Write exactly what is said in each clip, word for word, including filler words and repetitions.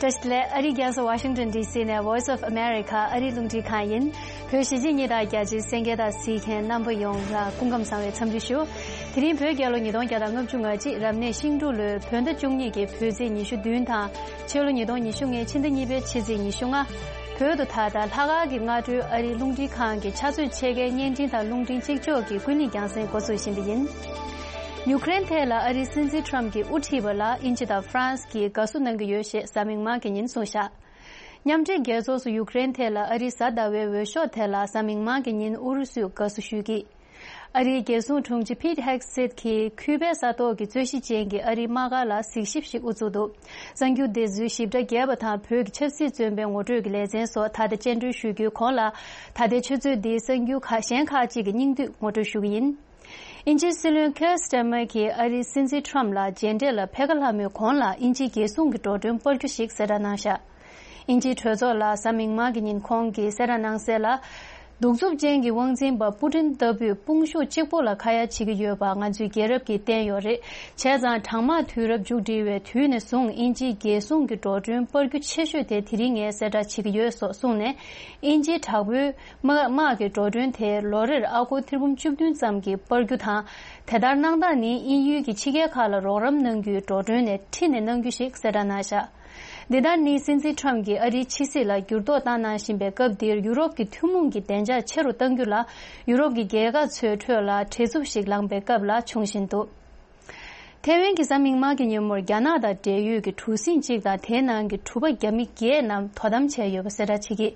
བཀྲ་ཤིས་བདེ་ལེགས། ཨ་རིའི་རྒྱལ་ས་ཝ་ཤིང་ཊོན་ཌི་སི་ནས་Voice of America ཨ་རིའི་རླུང་འཕྲིན་ཁང་ཡིན། བོད་གཞིས་བྱེས་གཉིས་དང་རྒྱ་ཆེའི་གསན་མཁན་དང་གཟིགས་མཁན་རྣམ་པ་ཡོངས་ལ་སྐུ་ཁམས་བཟང་བའི་འཚམས་འདྲི་ཞུ། དེ་རིང་བོད་རྒྱལ་ལོ་ཉིས་སྟོང་བརྒྱ་དང་ལྔ་བཅུ་ང་གཅིག་རབ་གནས་ཤིང་འབྲུག་ལོའི་བོད་ཟླ་བཅུ་གཉིས་ཀྱི་བོད་ཚེས་ཉི་ཤུ་བདུན་དང་། ཕྱི་ལོ་ཉིས་སྟོང་ཉི་ཤུ་ལྔའི་ཕྱི་ཟླ་གཉིས་པའི་ཕྱི་ཚེས་ཉི་ཤུ་ལྔ། བོད་དུ་ད་ལྟ་ལྷག་དཀར་གྱི་སྔ་དྲོའི་ཨ་རིའི་རླུང་འཕྲིན་ཁང་གི་ཕྱག་ཚོད་ཕྱེད་ཀའི་བརྙན་འཕྲིན་དང་རླུང་འཕྲིན་གཅིག་ལྕོགས་ཀྱི་ཀུན་གླེང་རྒྱང་སྲིང་འགོ་འཛུགས་བཞིན་པ་ཡིན། ཡུཀ་རེན་ཐད་ལ་ཨ་རིའི་སྲིད་འཛིན་ཁྲམ་གྱིས་དབུ་ཁྲིད་པ་ལ་དབྱིན་ཇི་དང་ཧྥ་རན་སི་གིས་དགའ་བསུ་གནང་གི་ཡོད་ཞེས་གཟའ་མིག་དམར་གྱི་ཉིན་གསུངས་བཞག་མཉམ་འབྲེལ་རྒྱལ་ཚོགས་སུ་ཡུཀ་རེན་ཐད་ལ་ཨ་རིའི་གཟའ་ཟླ་བའི་འོས་ཤོག་དེ་ལ་གཟའ་མིག་དམར་གྱི་ཉིན་ཨུ་རུ་སུས་དགའ་བསུ་ཞུས་ཀྱིས། ཨ་རིའི་རྒྱལ་སྲུང་དྲུང་ཆེ་ཕིད་ཧེག་སིད་ཀྱིས་ཁུ་པའི་ས་ཐོག་གི་རྩོད་གཞི་ཅན་གྱི་ཨ་རིའི་དམག་སྒར་ལ་གཟིགས་ཞིབ་ཞིག་དབུ་བཙུགས་འདུག་གསར་འགྱུར་དེ་ཚོའི་ཞིབ་ཕྲ་རྒྱས་པ་དང་བོད་ཀྱི་ཆབ་སྲིད་བཙོན་པའི་ངོ་སྤྲོད་ཀྱི་ལེ་ཚན་སོགས་ད་ལྟ་སྤྱན་འགྲོལ་ཞུ་རྒྱུའི་གོང་ལ། ད་ལྟའི་ཆུ་ཚོད་འདིའི་གསར་འགྱུར་ཁག་གཞན་ཁག་ཅིག་གི་སྙིང་བསྡུས་ངོ་སྤྲོད་ཞུ་གི་ཡིན། དབྱིན་ཇིའི་སྲིད་བློན་ཁེར་སི་ཊར་མར་གྱིས་ཨ་རིའི་སྲིད་འཛིན་ཁྲམ་ལ་མཇལ་འཕྲད་ལ་ཕེབས་ཀ་ལྷག་མོད་གོང་ལ་དབྱིན་ཇིའི་རྒྱལ་སྲུང་གི་འགྲོ་གྲོན་སྤར་རྒྱུ་ཞིག་གསལ་བསྒྲགས་གནང་བཞག་དབྱིན་ཇིའི་གྲོས་ཚོགས་ལ་གཟའ་མིག་དམར་གྱི་ཉིན་ཁོང་གིས་གསལ་བསྒྲགས་གནང་གསལ་ལ། གདུག་རྩུབ་ཅན་གྱི་དབང་འཛིན་པ་པུ་ཏིན་ལྟ་བུས་དཔུང་ཤུགས་གཅིག་པུ་ལ་ཁ་ཡ་བྱེད་ཀྱི་ཡོད་པ་ང་ཚོའི་རྒྱལ་རབས་ཀྱིས་བསྟན་ཡོད་རེད། བྱས་ཙང་གྲང་དམག་དུས་རབས་མཇུག་སྒྲིལ་བའི་དུས་ནས་བཟུང་དབྱིན་ཇིའི་རྒྱལ་སྲུང་གི་འགྲོ་གྲོན་སྤར་རྒྱུ་ཆེ་ཤོས་དེ་དེ་རིང་ངས་གསལ་བསྒྲགས་བྱེད་ཀྱི་ཡོད་སོགས་གསུངས་ནས། དབྱིན་ཇིའི་དྲག་པོའི་དམག་དམག་གི་འགྲོ་གྲོན་དེ་ལོ་རེར་ཨ་སྒོར་ཐེར་འབུམ་བཅུ་བདུན་ཙམ་གྱིས་སྤར་རྒྱུ་དང་། དེ་ལྟར་གནང་སྟངས་ནི་དབྱིན་ཡུལ་གྱི་ཕྱི་རྒྱལ་ཁག་ལ་རོགས་རམ་གནང་རྒྱུའི་འགྲོ་གྲོན་ནས་ཁྲིད་ནས་གནང་རྒྱུ་ཞིག་གསལ་བསྒྲགས་གནང་བཞག་འདི་ལྟར་ནི་སྲིད་འཛིན་ཁྲམ་གྱིས་ཨ་རིའི་ཕྱི་སྲིད་ལ་འགྱུར་ལྡོག་བཏང་གནང་བཞིན་པའི་སྐབས་འདིར་ཡུ་རོབ་ཀྱི་ཐུན་མོང་གི་བདེ་འཇགས་ཆེ་རུ་གཏང་རྒྱུ་ལ་ཡུ་རོབ་ཀྱི་རྒྱལ་ཁབ་ཚོའི་ཁྲོད་ལ་བྲེལ་འཚུབ་ཞིག་ལངས་པའི་སྐབས་ལ་བྱུང་བཞིན་འདུག་ཐེ་ཝན་གྱི་གཟའ་མིག་དམར་གྱི་ཉིན་མོར་རྒྱ་ནག་དང་འབྲེལ་ཡོད་ཀྱི་གྲུ་གཟིངས་གཅིག་དང་དེའི་ནང་གི་གྲུ་པ་རྒྱ་མི་བརྒྱད་རྣམས་དོ་དམ་བྱས་ཡོད་པ་གསལ་བསྒྲགས་བྱེད་ཀྱིས།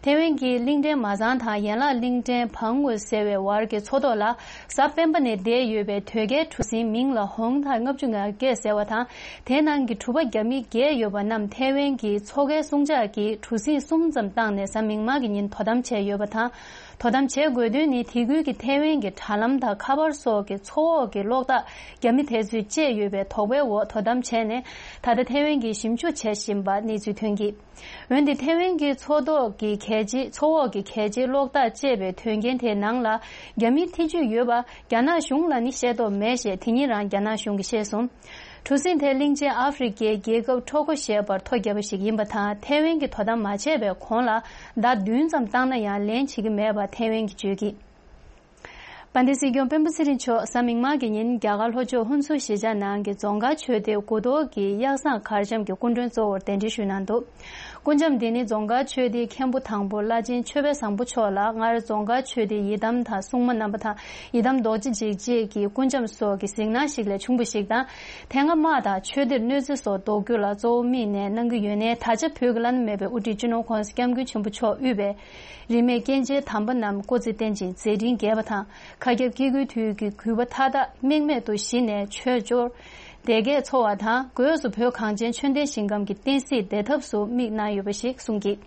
ཐེ་ཝན་གྱི་གླིང་ཕྲན་མ་ཚང་དང་ཡན་ལག་གླིང་ཕྲན་བང་ངོས་ཟེར་བའི་བར་གྱི་མཚོ་ཐོག་ལ་གཟའ་སྤེན་པ་ནས་བསྡད་ཡོད་པའི་དོས་སྐྱེལ་གྲུ་གཟིངས་མིང་ལ་ཧོང་ཐའི་ལྔ་བཅུ་ང་བརྒྱད་ཟེར་བ་དང་། དེའི་ནང་གི་གྲུ་པ་རྒྱ་མི་བརྒྱད་ཡོད་པ་རྣམས་ཐེ་ཝན་གྱི་མཚོ་ཁའི་སྲུང་བྱག་གིས་གྲུ་གཟིངས་གསུམ་ཙམ་བཏང་ནས་གཟའ་མིག་དམར་གྱི་ཉིན་དོ་དམ་བྱས་ཡོད་པ་དང་། དོ་དམ་བྱེད་དགོས་དོན་ནི་དེ་ཁུལ་གྱི་ཐེ་ཝན་གྱི་དྲ་ལམ་དང་ཁ་པར་སོགས་ཀྱི་མཚོ་འོག་གི་གློག་ཐག་རྒྱ་མི་དེ་ཚོས་བཅད་ཡོད་པའི་དོགས་པའི་འོག་དོ་དམ་བྱས་ནས་ད་ལྟ་ཐེ་ཝན་གྱིས་ཞིབ་འཇུག་བྱེད་བཞིན་པ་གནས་ཚུལ་ཐོན་གྱིས། འོན་ཏེ་ཐེ་ཝན་གྱི་མཚོ་ཐོག་གི་གལ་ཆེའི་མཚོ་འོག་གི་གལ་ཆེའི་གློག་ཐག་བཅད་པའི་དོན་རྐྱེན་དེའི་ནང་ལ་རྒྱ་མིའི་ཐེ་ཇུས་ཡོད་པ་རྒྱ་ནག་གཞུང་ལ་ནི་ཤེས་རྟོགས་མེད་ཞེས་དེ་ཉིན་རང་རྒྱ་ནག་གཞུང་གིས་བཤད་སོང་། གྲུ་གཟིངས་དེ་གླིང་ཆེན་ཨ་ཧྥེ་རི་ཁའི་རྒྱལ་ཁབ་ཁྲོ་ཁོ་ཞེས་པར་ཐོ་བརྒྱབ་པ་ཞིག་ཡིན་པ་དང་ཐེ་ཝན་གྱིས་དོ་དམ་མ་བྱས་པའི་གོང་ལ་ཟླ་བདུན་ཙམ་བཏང་ན་ཡང་ལན་བྱེད་ཀྱི་མེད་པ་ཐེ་ཝན་གྱིས་བརྗོད་ཀྱིས། དཔལ་ལྡན་སྲིད་སྐྱོང་སྤེན་པ་ཚེ་རིང་མཆོག་གཟའ་མིག་དམར་གྱི་ཉིན་རྒྱ་གར་ལྷོ་ཕྱོགས་ཧུན་སུར་གཞིས་ཆགས་ནང་གི་རྫོང་དཀར་ཆོས་སྡེ་དགུ་ཐོག་གི་གཡག་བཟང་གར་འཆམ་གྱི་སྐུ་མགྲོན་གཙོ་བོར་གདན་འདྲེན་ཞུས་གནང་འདུག་སྐུ་འཆམ་འདི་ནི་རྫོང་དཀར་ཆོས་སྡེའི་མཁན་པོ་དང་པོ་བླ་ཆེན་ཆོས་དཔལ་བཟང་པོ་མཆོག་ལ་སྔར་རྫོང་དཀར་ཆོས་སྡེའི་ཡི་དམ་དང་སྲུང་མ་རྣམ་པ་དང་ཡི་དམ་རྡོ་རྗེ་འཇིགས་བྱེད་ཀྱི་སྐུ་འཆམ་སོགས་ཀྱི་གཟིགས་སྣང་ཞིག་ལས་བྱུང་བ་ཞིག་དང་། དེ་སྔ་དམག་དང་ཆོས་སྡེར་གནོད་འཚེ་སོགས་ཟློག་རྒྱུ་ལ་གཙོ་བོ་དམིགས་ནས་གནང་གི་ཡོད་ནའི་ད་ཆ་བོད་ཀྱི་བླ་ན་མེད་པའི་དབུ་ཁྲིད་སྤྱི་ནོར་༧གོང་ས་༧སྐྱབས་མགོན་ཆེན་པོ་མཆོག་དབུས་པའི་རིས་མེད་སྐྱེས་ཆེན་དམ་པ་རྣམས་སྐུ་ཚེ་བརྟན་ཅིང་མཛད་འཕྲིན་རྒྱས་པ་དང་། མཁའ་ཁྱབ་སྐྱེ་དགུའི་དུས་ཀྱི་གུས་པ་མཐའ་དག་རྨེག་མེད་དུ་ཞི་ནས་ཆོས་འབྱོར་བདེ་སྐྱིད་འཚོ་བ་དང་། སྒོས་སུ་བོད་གངས་ཅན་ཆོས་ལྡན་ཞིང་ཁམས་ཀྱི་བསྟན་སྲིད་བདེ་ཐབས་སུ་དམིགས་གནང་ཡོད་པ་ཞིག་གསུངས་ཀྱིས།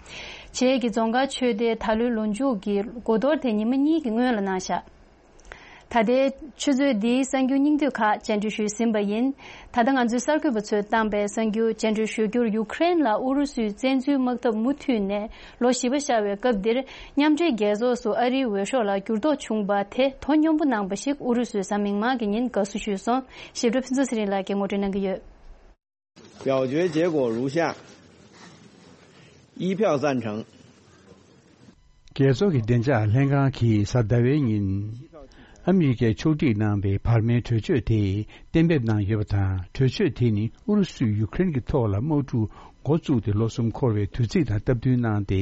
བྱེས་ཀྱི་རྫོང་དཀར་ཆོས་སྡེའི་ད་ལོའི་ལོ་མཇུག་གི་དགུ་གཏོར་དེ་ཉི་མ་གཉིས་ཀྱི་སྔོན་ལ་གནང་བཞག་ད་ལྟའི་ཆུ་ཚོད་འདིའི་གསར་འགྱུར་སྙིང་བསྡུས་ཁག་སྤྱན་འབུལ་ཞུས་ཟིན་པ་ཡིན། ད་ལྟ་ང་ཚོའི་གསར་འགོད་པ་ཚོས་བཏང་པའི་གསར་འགྱུར་སྤྱན་འབུལ་ཞུ་རྒྱུར་ཡུ་ཁུ་རེན་ལ་ཨུ་རུ་སུའི་བཙན་འཛུལ་དམག་འཐབ་མུ་མཐུད་ནས་ལོ་བཞི་པ་ཤར་བའི་སྐབས་འདིར། མཉམ་འབྲེལ་རྒྱལ་ཚོགས་སུ་ཨ་རིའི་འོས་ཤོག་ལ་འགྱུར་ལྡོག་བྱུང་བ་དེ་དོ་སྙོམས་པོ་གནང་པ་ཞིག་ཨུ་རུ་སུས་གཟའ་མིག་དམར་གྱི་ཉིན་དགའ་བསུ་ཞུས་སོང་། ཞིབ་ཕྲ་ཕུན་ཚོགས་ཚེ་རིང་ལགས་ཀྱིས་ངོ་སྤྲོད་གནང་གི་ཡོད། 表决结果如下：一票赞成。 རྒྱལ་ཚོགས་ཀྱི་བདེ་འཇགས་ལྷན་ཁང་གིས་གཟའ་ཟླ་བའི་ཉིན་ཨ་མི་རི་ཀས་ཕྱོགས་སྒྲིག་གནང་བའི་བར་མའི་གྲོས་ཆོད་དེ་གཏན་འབེབས་གནང་ཡོད་པ་དང་། གྲོས་ཆོད་དེ་ནི་ཨུ་རུ་སུས་ཡུ་ཀེ་རེན་གྱི་ཐོག་ལ་དམག་འཁྲུག་འགོ་བཙུགས་ཏེ་ལོ་གསུམ་འཁོར་བའི་དུས་ཚིགས་དང་སྟབས་བསྟུན་གནང་སྟེ་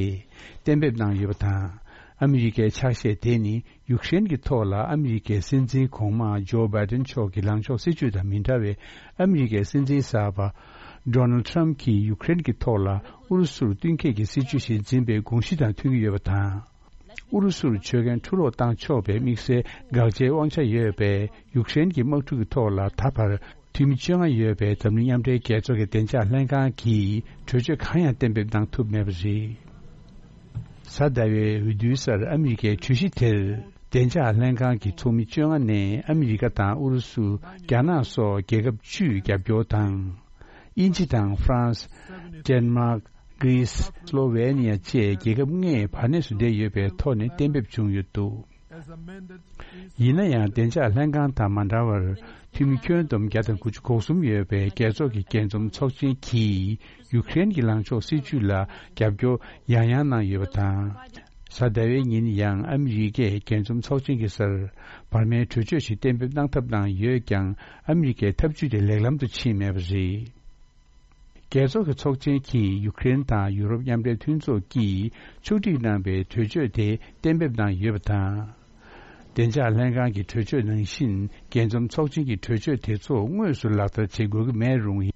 གཏན་འབེབས་གནང་ཡོད་པ་དང་། ཨ་མི་རི་ཀའི་ཕྱག་བཞེས་དེ་ནི་ཡུ་ཀེ་རེན་གྱི་ཐོག་ལ་ཨ་མི་རི་ཀའི་སྲིད་འཛིན་གོང་མ་ཇོ་བྷའི་ཏིན་མཆོག་གི་ལངས་ཕྱོགས་སྲིད་ཇུས་དང་མི་འདྲ་བའི་ཨ་མི་རི་ཀའི་སྲིད་འཛིན་གསར་པ་ཌོ་ནལ་ཌི་ཊརམ་ཕི་གྱིས་ཡུ་ཀེ་རེན་གྱི་ཐོག་ལ་ཨུ་རུ་སུར་བསྟུན་མཁས་ཀྱི་སྲིད་ཇུས་ཤིག་འཛིན་པའི་དགོངས་གཞི་དང་མཐུན་གྱི་ཡོད་པ་དང་། ཨུ་རུ་སུར་ཆོད་མཁན་འཕྲུལ་སློག་བཏང་ཆོག་པའི་དམིགས་བསལ་དགག་བྱའི་དབང་ཆ་ཡོད་པའི་ཡུཀ་རེན་གྱི་དམག་འཁྲུག་གི་ཐོག་ལ་ད་བར་འཐུས་མི་བཅོ་ལྔ་ཡོད་པའི་འཛམ་གླིང་མཉམ་འབྲེལ་རྒྱལ་ཚོགས་ཀྱི་བདེ་འཇགས་ལྷན་ཁང་གིས་གྲོས་ཆོད་གང་ཡང་གཏན་འབེབས་གནང་ཐུབ་མེད་པ་རེད། གཟའ་ཟླ་བའི་འོས་བསྡུའི་སར་ཨ་མི་རི་ཀའི་གྲོས་གཞི་དེར་བདེ་འཇགས་ལྷན་ཁང་གི་ཚོགས་མི་བཅོ་ལྔ་ནས་ཨ་མི་རི་ཀ་དང་ཨུ་རུ་སུ། རྒྱ་ནག་སོགས་རྒྱལ་ཁབ་བཅུས་རྒྱབ་སྐྱོར་དང་། དབྱིན་ཇི་དང་ཧྥ་རན་སི། ཌེན་མཱག་གྷི་རི་སི། སློ་ཝེ་ནི་ཡ་བཅས་རྒྱལ་ཁབ་ལྔས་བར་གནས་སུ་བསྡད་ཡོད་པའི་ཐོག་ནས་གཏན་འབེབས་བྱུང་ཡོད་འདུག་ཡིན་ན་ཡང་བདེ་འཇགས་ལྷན་ཁང་དང་མ་འདྲ་བར་འཐུས་མི་ཁྱོན་བསྡོམས་བརྒྱ་དང་དགུ་བཅུ་གོ་གསུམ་ཡོད་པའི་རྒྱལ་ཚོགས་ཀྱི་རྒྱས་འཛོམས་ཚོགས་ཆེན་གྱིས་ཡུཀ་རེན་གྱི་ལངས་ཕྱོགས་སྲིད་བྱུས་ལ་རྒྱབ་སྐྱོར་ཡང་ཡང་གནང་ཡོད་པ་དང་། གཟའ་ཟླ་བའི་ཉིན་ཡང་ཨ་མི་རི་ཀས་རྒྱས་འཛོམས་ཚོགས་ཆེན་གྱི་སར་བར་མའི་གྲོས་ཆོད་ཞིག་གཏན་འབེབས་གནང་ཐབས་གནང་ཡོད་ཀྱང་ཨ་མི་རི་ཀས་ཐབས་ཇུས་དེ་ལེགས་ལམ་དུ་ཕྱིན་མེད་པ་རེད། རྒྱལ་ཚོགས་ཀྱི་ཚོགས་ཆེན་གྱིས་ཡུཀ་རེན་དང་ཡུ་རོབ་མཉམ་འབྲེལ་མཐུན་ཚོགས་ཀྱིས་ཕྱོགས་སྒྲིག་གནང་པའི་གྲོས་ཆོད་དེ་གཏན་འབེབས་གནང་ཡོད་པ་དང་། བདེ་འཇགས་ལྷན་ཁང་གི་གྲོས་ཆོད་ནང་བཞིན་རྒྱས་འཛོམས་ཚོགས་ཆེན་གྱི་གྲོས་ཆོད་དེ་ཚོ་དངོས་སུ་ལག་བསྟར་བྱེད་དགོས་ཀྱི་མེད་རུང་།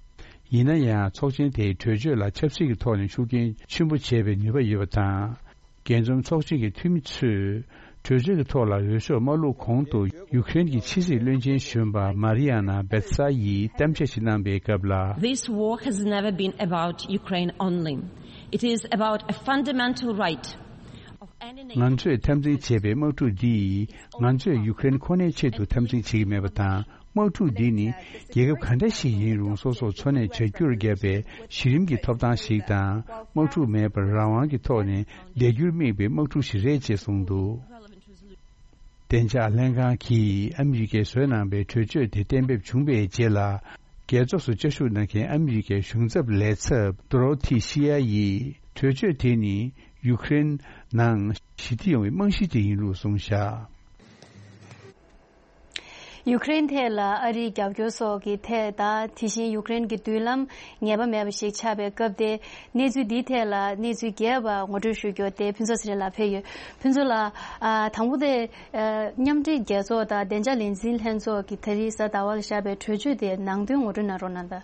ཡིན་ན་ཡང་ཚོགས་ཆེན་དེའི་གྲོས་ཆོད་ལ་ཆབ་སྲིད་ཀྱི་ཐོག་ནས་ཤུགས་རྐྱེན་ཆེན་པོ་བྱེད་པའི་ནུས་པ་ཡོད་པ་དང་། རྒྱས་འཛོམས་ཚོགས་ཆེན་གྱི་འཐུས་མི་ཚོས་གྲོས་ཆོད་ཀྱི་ཐོག་ལ་འོས་ཤོག་མ་བླུགས་གོང་དུ་ཡུཀ་རེན་གྱི་ཕྱི་སྲིད་བློན་ཆེན་གཞོན་པ་མཱ་རི་ཡ་ན་བེ་ཐ་ཡིས་གཏམ་བཤད་ཞིག་གནང་པའི་སྐབས་ལ། This war has never been about Ukraine only. It is about a fundamental right of any nation. ང་ཚོས་འཐབ་འཛིང་བྱས་པའི་དམག་འཁྲུག་འདིས་ང་ཚོས་ཡུཀ་རེན་ཁོ་ནའི་ཆེད་དུ་འཐབ་འཛིང་བྱེད་ཀྱི་མེད་པ་དང་། དམག་འཁྲུག་འདི་ནི་རྒྱལ་ཁབ་ག་འདྲ་ཞིག་ཡིན་རུང་སོ་སོར་འཚོ་གནས་བྱ་རྒྱུར་བརྒྱབ་པའི་གཞི་རིམ་གྱི་ཐོབ་ཐང་ཞིག་དང་། དམག་འཁྲུག་མེད་པར་རང་དབང་གི་ཐོག་ནས་བསྡད་རྒྱུར་དམིགས་པའི་དམག་འཁྲུག་ཞིག་རེད་ཅེས་གསུངས་འདུག། བདེ་འཇགས་ལྷན་ཁང་གིས་ཨ་མི་རི་ཀས་བཟོས་གནང་པའི་གྲོས་ཆོད་དེ་གཏན་འབེབས་བྱུང་པའི་རྗེས་ལ། རྒྱལ་ཚོགས་སུ་བཅའ་བཞུགས་གནང་མཁན་ཨ་མི་རི་ཀའི་གཞུང་ཚབ་ལས་ཚབ་ཏོ་རོ་ཐི་ཤི་ཡ་ཡིས་གྲོས་ཆོད་དེ་ནི་ཡུཀ་རེན་ནང་ཞི་བདེ་ཡོང་བའི་རྨང་གཞི་ཅིག་ཡིན་ལུགས་གསུངས་བཞག། ཡུཀ་རེན་ཐད་ལ་ཨ་རིའི་རྒྱབ་སྐྱོར་སོགས་ཀྱི་ཐད་དང་། དེ་བཞིན་ཡུཀ་རེན་གྱི་མདུན་ལམ་ངེས་པ་མེད་པ་ཞིག་ཆགས་པའི་སྐབས་དེ། གནས་ཚུལ་འདིའི་ཐད་ལ་གནས་ཚུལ་རྒྱས་པ་ངོ་སྤྲོད་ཞུ་རྒྱུ་དེ་ཕུན་ཚོགས་ཚེ་རིང་ལགས་ཕེབས་ཡོད། ཕུན་ཚོགས་ལགས། ཨ། དང་པོ་དེ། ཨ། མཉམ་འབྲེལ་རྒྱལ་ཚོགས་དང་བདེ་འཇགས་ལས་འཛིན་ལྷན་ཚོགས་ཀྱིས་ད་རེས་གཟའ་ཟླ་བ་ལ་བཞག་པའི་གྲོས་ཆོད་དེ་ནང་དོན་ངོ་སྤྲོད་གནང་རོགས་གནང་དང་།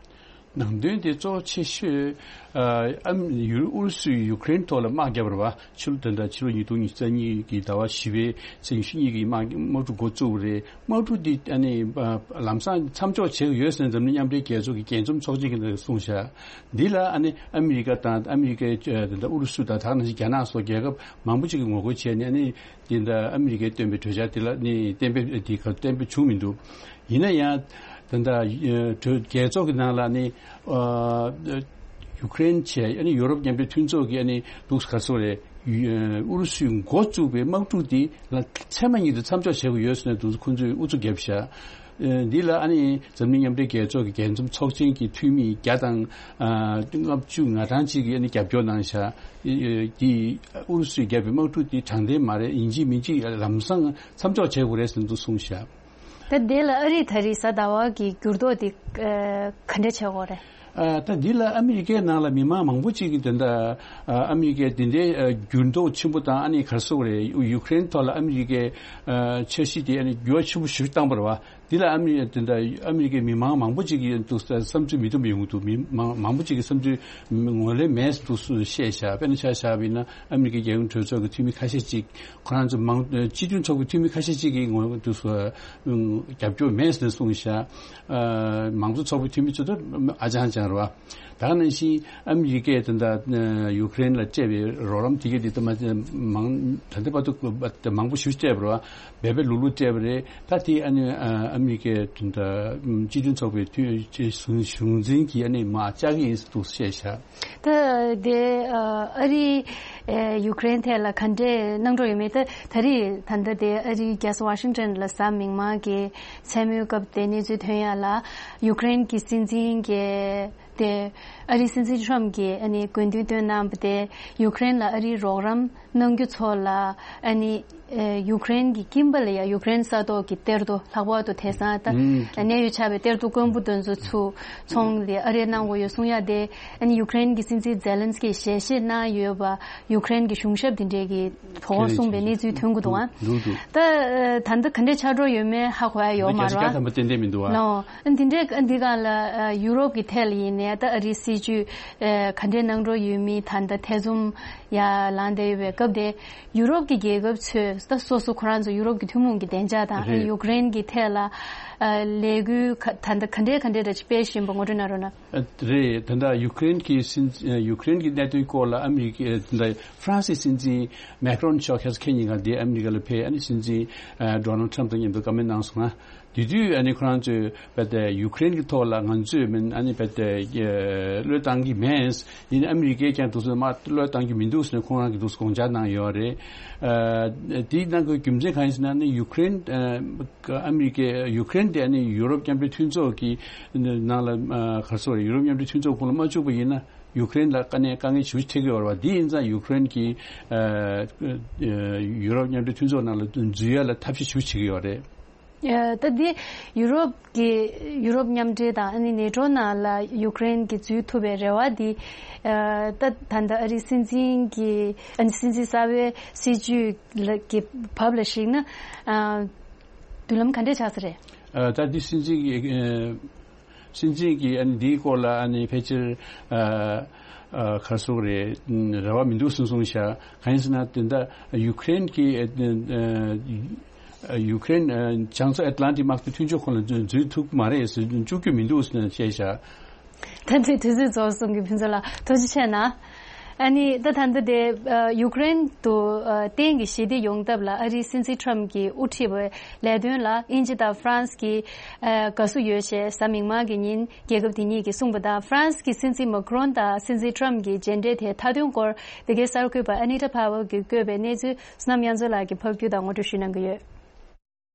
ནང་དོན་དེ་གཙོ་ཆེ་ཤོས། ཨ། ཨ། ཡུ། ཨུ་རུ་སུས་ཡུཀ་རེན་ཐོག་ལ་དམག་བརྒྱབ་པ་རེད་བ། ཕྱི་ལོ་ད་ལྟ་ཕྱི་ལོ་ཉིས་སྟོང་ཉི་ཤུ་རྩ་གཉིས་ཀྱི་ཟླ་བ་བཞི་པའི་ཚེས་ཉི་ཤུ་གཉིས་ཀྱི་དམག་དམག་འཁྲུག་འགོ་བཙུགས་པ་རེད། དམག་འཁྲུག་འདི་ཨ་ནི། ཨ། ལམ་སང་མཚམས་འཇོག་བྱེད་ཀྱི་ཡོད་ཟེར་ནས་འཛམ་གླིང་མཉམ་འབྲེལ་རྒྱལ་ཚོགས་ཀྱི་རྒྱས་འཛོམས་ཚོགས་ཆེན་གྱིས་གསུངས་བཞག། འདི་ལ་ཨ་ནི་ཨ་མི་རི་ཀ་དང་ཨ་མི་རི་ཀའི་ད་ལྟ་ཨུ་རུ་སུ་དང་ད་ག་ནང་བཞིན་རྒྱ་ནག་སོགས་རྒྱལ་ཁབ་མང་པོ་ཅིག་གིས་ངོ་རྒོལ་བྱས་ནས། ཨ་ནི་འདི་ལྟ་ཨ་མི་རི་ཀས་བཏོན་པའི་གྲོས་འཆར་འདི་ལ་ནི་གཏན་འབེབས་འདི་ག་གཏན་འབེབས་བྱུང་མི་འདུག། ཡིན་ན་ཡང་། ད་ལྟ་གྲོས་རྒྱལ་ཚོགས་ཀྱི་ནང་ལ་ནི། ཨ། ཡུཀ་རེན་བྱས། ཨ་ནི་ཡོ་རོབ་མཉམ་འབྲེལ་མཐུན་ཚོགས་ཀྱིས་ཨ་ནི་འདུག་ག་སོ་རེད། ཨུ་རུ་སུས་འགོ་བཙུགས་པའི་དམག་འཁྲུག་འདི་ལ་ཚད་མ་ཉིད་དུ་མཚམས་འཇོག་བྱེད་དགོས་ཡོད་ཟེར་ནས་འདུག་ཁོང་ཚོས་ཨུ་ཚུགས་བརྒྱབ་བཞག། འདི་ལ་ཨ་ནི་འཛམ་གླིང་མཉམ་འབྲེལ་རྒྱལ་ཚོགས་ཀྱི་རྒྱས་འཛོམས་ཚོགས་ཆེན་གྱི་འཐུས་མི་བརྒྱ་དང་ལྔ་བཅུ་ང་གྲངས་ཅིག་གིས་ཨ་ནི་རྒྱབ་སྐྱོར་གནང་བཞག། འདི་ཨུ་རུ་སུས་བརྒྱབ་པའི་དམག་འཁྲུག་འདི་དྲང་བདེན་མ་རེད། ཡིན་གཅིག་མིན་གཅིག་ལམ་སང་མཚམས་འཇོག་བྱེད་དགོས་རེད་ཟེར་འདུག་གསུངས་བཞག། ད་དེ་ལ་ཨ་རིས་ད་རེས་གཟའ་ཟླ་བ་གི་འགྱུར་ལྡོག་དེ་ག་འདྲ་བྱེད་དགོས་རེད། ཨ། ད་འདི་ལ་ཨ་མི་རི་ཀའི་ནང་ལ་མི་མང་མང་པོ་ཅིག་གིས་དེ་འདྲ། ཨ། ཨ་མི་རི་ཀའི་དེ་འདྲའི་འགྱུར་ལྡོག་ཆེན་པོ་དང་། ཨ་ནི་ག་རེ་ཟེར་དགོས་རེད། ཡུཀ་རེན་ཐོག་ལ་ཨ་མི་རི་ཀའི་འཆར་གཞི་དེ་ཨ་ནི་འགྱུར་བ་ཆེན་པོ་ཞིག་བཏང་པ་རེད་བ། འདི་ལ་ཨ་མི་དེ་འདྲ་ཨ་མི་རི་ཀའི་མི་མང་མང་པོ་ཅིག་གིས་འདུག་བསམ་ཚུལ་མི་མཐུན་པ་ཡོང་གི་འདུག། མི་མང་མང་པོ་ཅིག་གིས་བསམ་ཚུལ་ངོས་ལེན་མེད་འདུག་བཤད་བཞག། དཔེར་ན་ཆ་བཞག་པ་ཡིན་ན་ཨ་མི་རི་ཀའི་རྒྱལ་ཡོངས་གྲོས་ཚོགས་ཀྱི་འཐུས་མི་ཁ་ཤས་ཅིག། ཁོ་རང་ཚོ་མང་སྤྱི་མཐུན་ཚོགས་པའི་འཐུས་མི་ཁ་ཤས་ཅིག་གིས་ངོས་འདུག་རྒྱབ་སྐྱོར་མེད་ཟེར་གསུངས་བཞག། ཨ། མང་གཙོ་ཚོགས་པའི་འཐུས་མི་ཚོ་ད་ཨ་ཅང་ཅང་རེད་བ། ད་ག་ནང་བཞིན་ཨ་མི་རི་ཀས་ད་ལྟ་ཡུཀ་རེན་ལ་སྤྲད་པའི་རོགས་རམ་དེ་གས་དེ་ད་མ་མང་ད་ལྟ་བར་དུ་མང་པོ་ཞིག་སྤྲད་པ་རེད་བ། འབད་འབད་ལུག་ལུག་སྤྲད་པ་རེད། ད་དེ་ཨ་ནི་ཨ་མི་རི་ཀས་ད་ལྟ་སྤྱི་མཐུན་ཚོགས་པའི་འཐུས་གཞུང་འཛིན་གྱིས་ཨ་ནི་མར་བཅག་གི་ཡིན་ཟེར་འདུག་བཤད་བཞག། ད་དེ་ཨ་རི་ཨེ་ཡུཀ་རེན་ཐད་ལ་ག་འདྲས་གནང་འགྲོ་ཡོད་མེད། ད་ད་རེས་ད་ལྟ་དེ་ཨ་རིའི་རྒྱལ་ས་ཝ་ཤིང་ཊོན་ལ་གཟའ་མིག་དམར་གྱི་མཚན་མོའི་སྐབས་དེ་གནས་ཚུལ་ཐོན་ཡ་ལ། ཡུཀ་རེན་གྱི་སྲིད་འཛིན་གྱིས་དེ་ཨ་རིའི་སྲིད་འཛིན་ཊམ་གྱིས་ཨ་ནི་དགོས་འདུན་བཏོན་གནང་བ་དེ། ཡུཀ་རེན་ལ་ཨ་རིའི་རོགས་རམ་གནང་རྒྱུ་ཚོ་ལ་ཨ་ནི་ཨེ་ཡུཀ་རེན་གྱི་ཀིམ་པ་ལ་ཡ་ཡུཀ་རེན་ས་ཐོག་གི་གཏེར་རྡོ། ལྷག་པར་དུ་དེང་སང་ད་ཨ་གནད་ཡོད་ཆགས་པའི་གཏེར་རྡོ་དཀོན་པོ་དེ་ཚོ་ཚུར་ཚོང་ལས་ཨ་རིར་གནང་དགོས་ཡོད་གསུང་ཡ་དེ། ཨ་ནི་ཡུཀ་རེན་གྱི་སྲིད་འཛིན་ཛེ་ལན་སི་ཀིས་ཞལ་བཞེས་གནང་ཡོད་པ། ཡུཀ་རེན་གྱི་གཞུང་ཞབས་དེ་འདྲས་ཀྱིས་བོ་གསུངས་པའི་གནས་ཚུལ་ཐོན་གྱི་འདུག་ཨ། འདུག་འདུག། ད་ད་ལྟ་ག་འདྲས་ཆགས་འགྲོ་ཡོད་མེད་ཧ་གོ་ཡ་ཡོད་མ་རེད་བ། ད་བརྒྱ་ཆ་བརྒྱ་ཐམ་པ་ཏན་ཏན་མི་འདུག་ཨ། ལོ། ཨ་འདི་འདྲས་འདི་ག་ལ་ཡུ་རོབ་ཀྱི་ཐད་ལ་ཡིན་ནའི་ད་ཨ་རིའི་སྲིད་བྱུས་ག་འདྲས་གནང་འགྲོ་ཡོད་མེད་ད་ལྟ་ཐེ་ཚོམ་ཡ་ལངས་བསྡད་ཡོད་པའི་སྐབས་དེ། ཡུ་རོབ་ཀྱི་རྒྱལ་ཁབ་ཚོས་ད་སོ་སོ་ཁོ་རང་ཚོ་ཡུ་རོབ་ཀྱི་ཐུན་མོང་གི་བདེ་འཇགས་དང་། རེད། ཡུཀ་རེན་གྱི་ཐད་ལ་ཨ་ལས་འགུལ་ག་ད་ལྟ་ག་འདྲས་ག་འདྲས་འདྲ་ཅིག་སྤེལ་བཞིན་པ་ངོ་སྤྲོད་གནང་རོགས་གནང་། ཨ་རེད། ད་ལྟ་ཡུཀ་རེན་གྱི་སྲིད་ཡུཀ་རེན་གྱི་གནད་དོན་སྐོར་ལ་ཨ་མི་རི་ཀའི་ད་ལྟ་ཧྥ་རན་སིའི་སྲིད་འཛིན་མེག་རོན་མཆོག་ཁ་སང་ཁ་ཉིན་ང་འདིར་ཨ་མི་རི་ཀ་ལ་ཕེབས། ཨ་ནི་སྲིད་འཛིན་ཨ་ཌོ་ནལ་ཊམ་དང་མཉམ་དུ་བཀའ་མོལ་གནང་སོང་ང་། དེ་དུས་ཨ་ནི་ཁོ་རང་ཚོས་རྦད་དེ་ཡུ་ཀེ་རེན་གྱི་ཐོག་ལ་ང་ཚོས་མིན་ཨ་ནི་རྦད་དེ་བློས་བཏང་གི་མེད། ཡིན་ནའི་ཨ་མི་རི་ཀས་ཀྱང་འདུག་སེ་མ་བློས་བཏང་གི་མི་འདུག་ཟེར་ནས་ཁོ་རང་གིས་འདུག་སེ་དགོངས་འཆར་གནང་ཡོད་རེད། ཨ་དེའི་ནང་གི་རྒྱུ་མཚན་གང་ཡིན་ཟེར་ན་ནི་ཡུ་ཀེ་རེན་ཨ་ཨ་མི་རི་ཀས་ཡུ་ཀེ་རེན་དེ་ཨ་ནི་ཡུ་རོབ་མཉམ་འབྲེལ་མཐུན་ཚོགས་ཀྱི་ནང་ལ་ཨ་ག་རེ་ཟེར་དགོས་རེད། ཡུ་རོབ་མཉམ་འབྲེལ་མཐུན་ཚོགས་ཁོངས་ལ་མ་བཅུག་པ་ཡིན་ན་ཡུ་ཀེ་རེན་ལ་དཀའ་གནད་དཀའ་ངལ་ཞེ་པོ་འཕྲད་ཀྱི་ཡོད་རེད་བ། འདི་ཡིན་ཙང་ཡུ་ཀེ་རེན་གྱིས་ཨ་ཡུ་རོབ་མཉམ་འབྲེལ་མཐུན་ཚོགས་ནང་ལ་འཛུལ་ཡ་ལ་ཐབས་ཤེས་ཞེ་པོ་བྱེད་ཀྱི་ཡོད་རེད། ཨ་ད་འདི་ཡུ་རོབ་ཀྱི་ཡུ་རོབ་མཉམ་འབྲེལ་དང་ཨ་ནི་ནེ་ཊོ་ནང་ལ་ཡུ་ཀེ་རེན་གྱི་འཛུལ་ཐུབ་པའི་རེ་བ་འདི་ཨ་ད་ད་ལྟ་ཨ་རིའི་སྲིད་འཛིན་གྱི་ཨ་ནི་སྲིད་འཛིན་གསར་པའི་སྲིད་ཇུས་ལ་གི་བབ་ལ་གཞིགས་ན་ཨ་མདུན་ལམ་ག་འདྲས་ཆགས་ས་རེད། ཨ་ད་འདི་སྲིད་འཛིན་གྱི་ཨ་སྲིད་འཛིན་གྱིས་ཨ་ནི་འདིའི་སྐོར་ལ་ཨ་ནི་ཕལ་ཆེར་ཨ་ཨ་ག་རེ་ཟེར་དགོས་རེད། རེ་བ་མི་འདུག་གསུངས་གསུངས་ཤག་གང་ཡིན་ཟེར་ན་དེ་འདྲ་ཡུ་ཀེ་རེན་གྱི་ཨ་ཨ་ཡུ་ཀེ་རེན་ཨ་བྱང་མཚོ་ཨེཊ་ལན་ཊིག་དམག་དོན་མཐུན་ཕྱོགས་ཁོངས་ལ་འཛུལ་འཛུལ་ཐུབ་ཀྱི་མ་རེད་ཟེར་བཅུག་རྒྱུ་མི་འདུག་ཟེར་ནས་བཤད་ཤག་ད་ལྟའི་དུས་ཚོད་རྫོགས་སོང་གི་ཕུན་ཚོགས་ལགས་ཐུགས་རྗེ་ཆེ་གནང་། ཨ་ནི་ད་ད་ལྟ་དེ་ཨ་ཡུ་ཀེ་རེན་དུ་ཨ་བརྟེན་གྱི་ཞི་བདེ་ཡོང་ཐབས་ལ་ཨ་རིའི་སྲིད་འཛིན་ཊམ་གྱིས་དབུ་ཁྲིད་པའི་ལས་དོན་ལ་དབྱིན་ཇི་དང་ཧྥ་རན་སི་གིས་ཨ་དགའ་བསུ་ཡོད་ཅེས་གཟའ་མིག་དམར་གྱི་ཉིན་རྒྱལ་ཁབ་དེ་གཉིས་ཀྱིས་གསུངས་པ་དང་། ཧྥ་རན་སི་གི་སྲིད་འཛིན་མཱ་ཁི་རོན་དང་སྲིད་འཛིན་ཊམ་གྱི་མཇལ་འཕྲད་དེའི་མཐའ་དོན་སྐོར་འདི་གའི་གསར་འགོད་པ་ཨ་ནི་ཊ་ཕ་ཝལ་གྱིས་བཀོད་པའི་གནས་ཚུལ་བསོད་ནམས་དབྱངས་མཚོ་ལགས་ཀྱིས་ཕབ་སྒྱུར་དང་ངོ་སྤྲོད་ཞུ་གནང་གི་ཡོད།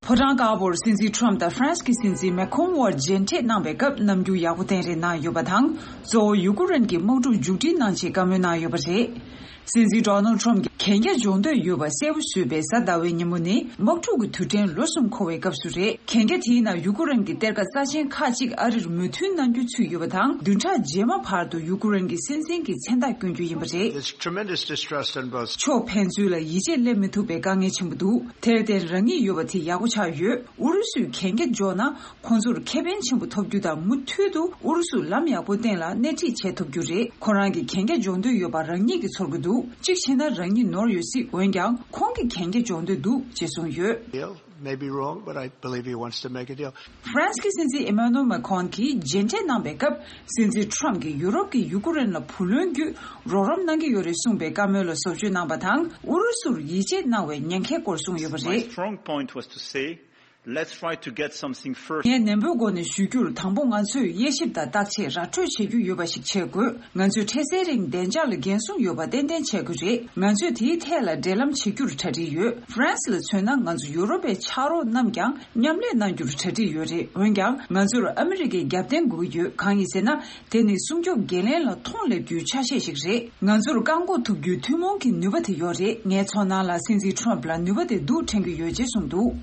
ཕོ་བྲང་དཀར་པོར་སྲིད་འཛིན་ཊམ་དང་ཧྥ་རན་སི་གི་སྲིད་འཛིན་མེ་ཁོང་དབར་མཇལ་འཕྲད་གནང་བའི་སྐབས་རྣམ་འགྱུར་ཡག་པོ་བསྟན་རེས་གནང་ཡོད་པ་དང་། གཙོ་བོ་ཡུ་ཀེ་རེན་གྱི་དམག་འཁྲུག་མཇུག་སྒྲིལ་གནང་ཆེད་བཀའ་མོལ་གནང་ཡོད་པ་རེད། སྲིད་འཛིན་ཌོ་ནལ་ཊམ་གྱིས་གན་རྒྱ་འཇོག་འདོད་ཡོད་པ་གསལ་པོ་བཟོས་པའི་གཟའ་ཟླ་བའི་ཉིན་མོ་ནི་དམག་འཁྲུག་གི་དུས་དྲན་ལོ་གསུམ་འཁོར་བའི་སྐབས་སུ་རེད། གན་རྒྱ་དེའི་ནང་ཡུ་ཀེ་རེན་གྱི་གཏེར་ཁ་རྩ་ཆེན་ཁག་ཅིག་ཨ་རིར་མོས་མཐུན་གནང་རྒྱུ་ཚུད་ཡོད་པ་དང་། བདུན་ཕྲག་རྗེས་མ་བར་དུ་ཡུ་ཀེ་རེན་གྱི་སྲིད་འཛིན་གྱི་མཚན་རྟགས་བསྐྱོན་རྒྱུ་ཡིན་པ་རེད། There's tremendous distrust on both sides. ཕྱོགས་ཕན་ཚུན་ལ་ཡིད་ཆེས་སླེབས་མི་ཐུབ་པའི་དཀའ་ངལ་ཆེན་པོ་འདུག་དེར་བརྟེན་རང་ཉིད་ཡོད་པ་དེ་ཡག་པོ་ཆགས་ཡོད། ཨུ་རུ་སུས་གན་རྒྱ་འཇོག་ན་ཁོང་ཚོར་ཁེ་ཕན་ཆེན་པོ་ཐོབ་རྒྱུ་དང་། མུ་མཐུད་དུ་ཨུ་རུ་སུ་ལམ་ཡག་པོ་སྟེང་ལ་སྣེ་ཁྲིད་བྱེད་ཐུབ་རྒྱུ་རེད། ཁོ་རང་གིས་གན་རྒྱ་འཇོག་འདོད་ཡོད་པ་རང་ཉིད་ཀྱིས་ཚོར་གྱི་འདུག་གཅིག་བྱས་ན་རང་ཉིད་ནོར་ཡོད་སྲིད། འོན་ཀྱང་ཁོང་གིས་གན་རྒྱ་འཇོག་འདོད་འདུག་ཅེས་གསུངས་ཡོད། Deal may be wrong, but I believe he wants to make a deal. ཧྥ་རན་སི་གི་སྲིད་འཛིན་ཨེ་མ་ནུ་ཨེལ་མེ་ཁོན་གྱིས་མཇལ་འཕྲད་གནང་པའི་སྐབས། སྲིད་འཛིན་ཁྲམ་གྱིས་ཡུ་རོབ་ཀྱིས་ཡུ་ཀེ་རེན་ལ་བུ་ལོན་བརྒྱུད་རོགས་རམ་གནང་གི་ཡོད་རེད་གསུངས་པའི་བཀའ་མོལ་ལ་བཟོ་བཅོས་གནང་པ་དང་། ཨུ་རུ་སུར་ཡིད་ཆེས་གནང་བའི་ཉེན་ཁའི་སྐོར་གསུངས་ཡོད་པ་My རེད། Strong point was to say, let's try to get something first. ངས་ནན་པོའི་སྒོ་ནས་ཞུ་རྒྱུར། དང་པོ་ང་ཚོས་དབྱེ་ཞིབ་དང་བརྟག་དཔྱད་ར་སྤྲོད་བྱེད་རྒྱུ་ཡོད་པ་ཞིག་བྱེད་དགོས། ང་ཚོས་འཕྲལ་སེལ་རིང་བདེ་འཇགས་ལ་འགན་སྲུང་ཡོད་པ་ཏན་ཏན་བྱེད་དགོས་རེད། ང་ཚོས་དེའི་ཐད་ལ་འབྲེལ་ལམ་བྱེད་རྒྱུར་གྲ་སྒྲིག་ཡོད། ཧྥ་རན་སི་ལ་མཚོན་ན། ང་ཚོ་ཡུ་རོབ་པའི་ཕྱག་རོགས་རྣམས་ཀྱང་མཉམ་ལས་གནང་རྒྱུར་གྲ་སྒྲིག་ཡོད་རེད། འོན་ཀྱང་ང་ཚོར་ཨ་མི་རི་ཀའི་རྒྱབ་རྟེན་དགོས་ཀྱི་ཡོད། གང་ཡིན་ཟེར་ན། དེ་ནི་སྲུང་སྐྱོབ་འགན་ལེན་ལ་མཐོང་སླེབས་རྒྱུའི་ཆ་ཤས་ཤིག་རེད། ང་ཚོར་བཀག་འགོག་ཐུབ་རྒྱུའི་ཐུན་མོང་གི་ནུས་པ་དེ་ཡོད་རེད། ངའི་ཚོར་སྣང་ལ། སྲིད་འཛིན་ཁྲོམ་ལ་ནུས་པ་དེ་འདུག་དྲན་གྱི་ཡོད་ཅེས་གསུངས་འདུག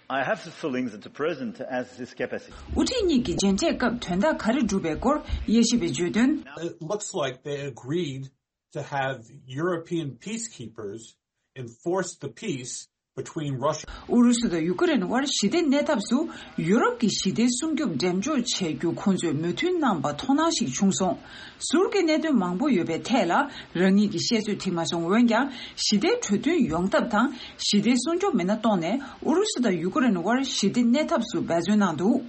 I have the feelings that the president has this capacity. དབུ་ཁྲིད་གཉིས་ཀྱི་མཇལ་འཕྲད་སྐབས་དོན་དག་ག་རེ་བསྒྲུབས་པའི་སྐོར་དབྱེ་ཞིབ་པས་བརྗོད་དོན། It looks like they agreed to have European peacekeepers enforce the peace between Russia. ཨུ་རུ་སུ་དང་ཡུ་ཀེ་རེན་དབར་ཞི་བདེ་གནས་ཐབས་སུ་ཡུ་རོབ་ཀྱི་ཞི་བདེའི་སྲུང་སྐྱོབ་འགྲེམས་འཇོག་བྱེད་རྒྱུ་ཁོང་ཚོས་མོས་མཐུན་གནང་པ་མཐོང་སྣང་ཞིག་བྱུང་སོང་། ཟུར་གྱི་གནད་དོན་མང་པོ་ཡོད་པའི་ཐད་ལ་རང་ཉིད་ཀྱི་བཤད་ཚོད་ཐིག་མ་སོང་། འོན་ཀྱང་ཞི་བདེའི་གྲོས་མཐུན་ཡོང་ཐབས་དང་ཞི་བདེའི་སྲུང་སྐྱོབ་མི་སྣ་གཏོང་ནས་ཨུ་རུ་སུ་དང་ཡུ་ཀེ་རེན་དབར་ཞི་བདེ་གནས་ཐབས་སུ་འབད་བརྩོན་གནང་འདུག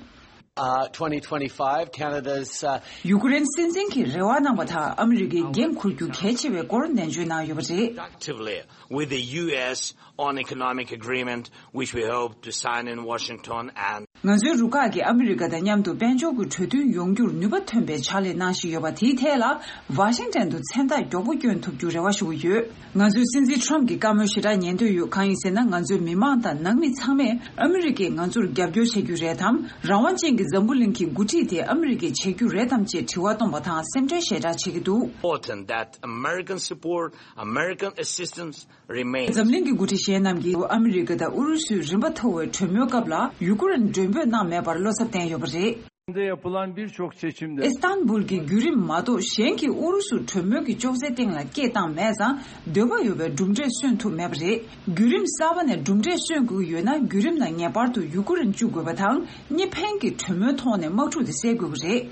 Uh, twenty twenty-five, Canada's, uh, ཡུ་ཀེ་རེན་སྲིད་འཛིན་གྱིས་རེ་བ་གནང་བ་དང་ཨ་མི་རི་ཀས་འགན་འཁུར་རྒྱུ་གལ་ཆེ་བའི་སྐོར་ནན་བརྗོད་གནང་ཡོད་པ་རེད། Productively with the U S on economic agreement, which we hope to sign in Washington and ང་ཚོའི་རུ་ཁག་གིས་ཨ་མི་རི་ཀ་དང་མཉམ་དུ་དཔལ་འབྱོར་གྱི་གྲོས་མཐུན་ཡོང་རྒྱུར་ནུས་པ་ཐོན་པའི་ཕྱག་ལས་གནང་བཞིན་ཡོད་པ་དེའི་ཐད་ལ་ཝ་ཤིང་ཊོན་དུ་མཚན་རྟགས་མགྱོགས་པོ་བསྐྱོན་ཐུབ་རྒྱུ་རེ་བ་ཞུ་གི་ཡོད། ང་ཚོས་སྲིད་འཛིན་ཁྲོམ་གྱི་བཀའ་མོལ་ཞེ་དྲག་ཉན་འདོད་ཡོད། གང་ཡིན་ཟེར་ན། ང་ཚོའི་མི་མང་དང་ནང་མི་ཚང་མས་ཨ་མི་རི་ཀས་ང་ཚོར་རྒྱབ་སྐྱོར་བྱེད་རྒྱུ་རེད་དམ། རང་དབང་ཅན་གྱི་འཛམ་བུ་གླིང་གི་འགོ་ཁྲིད་དེ་ཨ་མི་རི་ཀས་བྱེད་རྒྱུ་རེད་དམ་ཅེས་དྲི་བ་བཏོན་པ་དང་སེམས་ཁྲལ་ཞེ་དྲག་བྱེད་ཀྱི་འདུག Important that American support, American assistance remains. འཛམ་གླིང་གི་འགོ་ཁྲིད་གཞན་རྣམས་ཀྱིས་ཨ་མི་རི་ཀ་དང་ཨུ་རུ་སུའི་རིམ་པ་མཐོ་བའི་གྲོས་མོལ་སྐབས་ལ་ཡུ་ཀེ་རེན་མགྲོན་འབོད་གནང་མེད་པར་བློ་འཚབ་བསྟན་ཡོད་པ་རེད། Yapılan birçok seçimde ཨི་སི་ཐན་བུལ་གྱི་བརྒྱུད་རིམ་མ་གཏོགས་གཞན་གྱིས་ཨུ་རུ་སུར་གྲོས་མོལ་གྱི་ཅོག་ཙེ་སྟེང་ལ་སྐད་བཏང་མེད་ཙང་། འདོད་པ་ཡོད་པའི་གྲུབ་འབྲས་སོན་ཐུབ་མེད་པ་རེད། བརྒྱུད་རིམ་གསར་པ་ནས་གྲུབ་འབྲས་སོན་དགོས་ཀྱི་ཡོད་ན། བརྒྱུད་རིམ་ནང་ངེས་པར་དུ་ཡུ་ཀེ་རེན་བཅུག་དགོས་པ་དང་། གཉིས་ཕན་གྱི་གྲོས་མོལ་ཐོག་ནས་དམག་འཁྲུག་དེ་སེལ་དགོས་ཀྱི་རེད།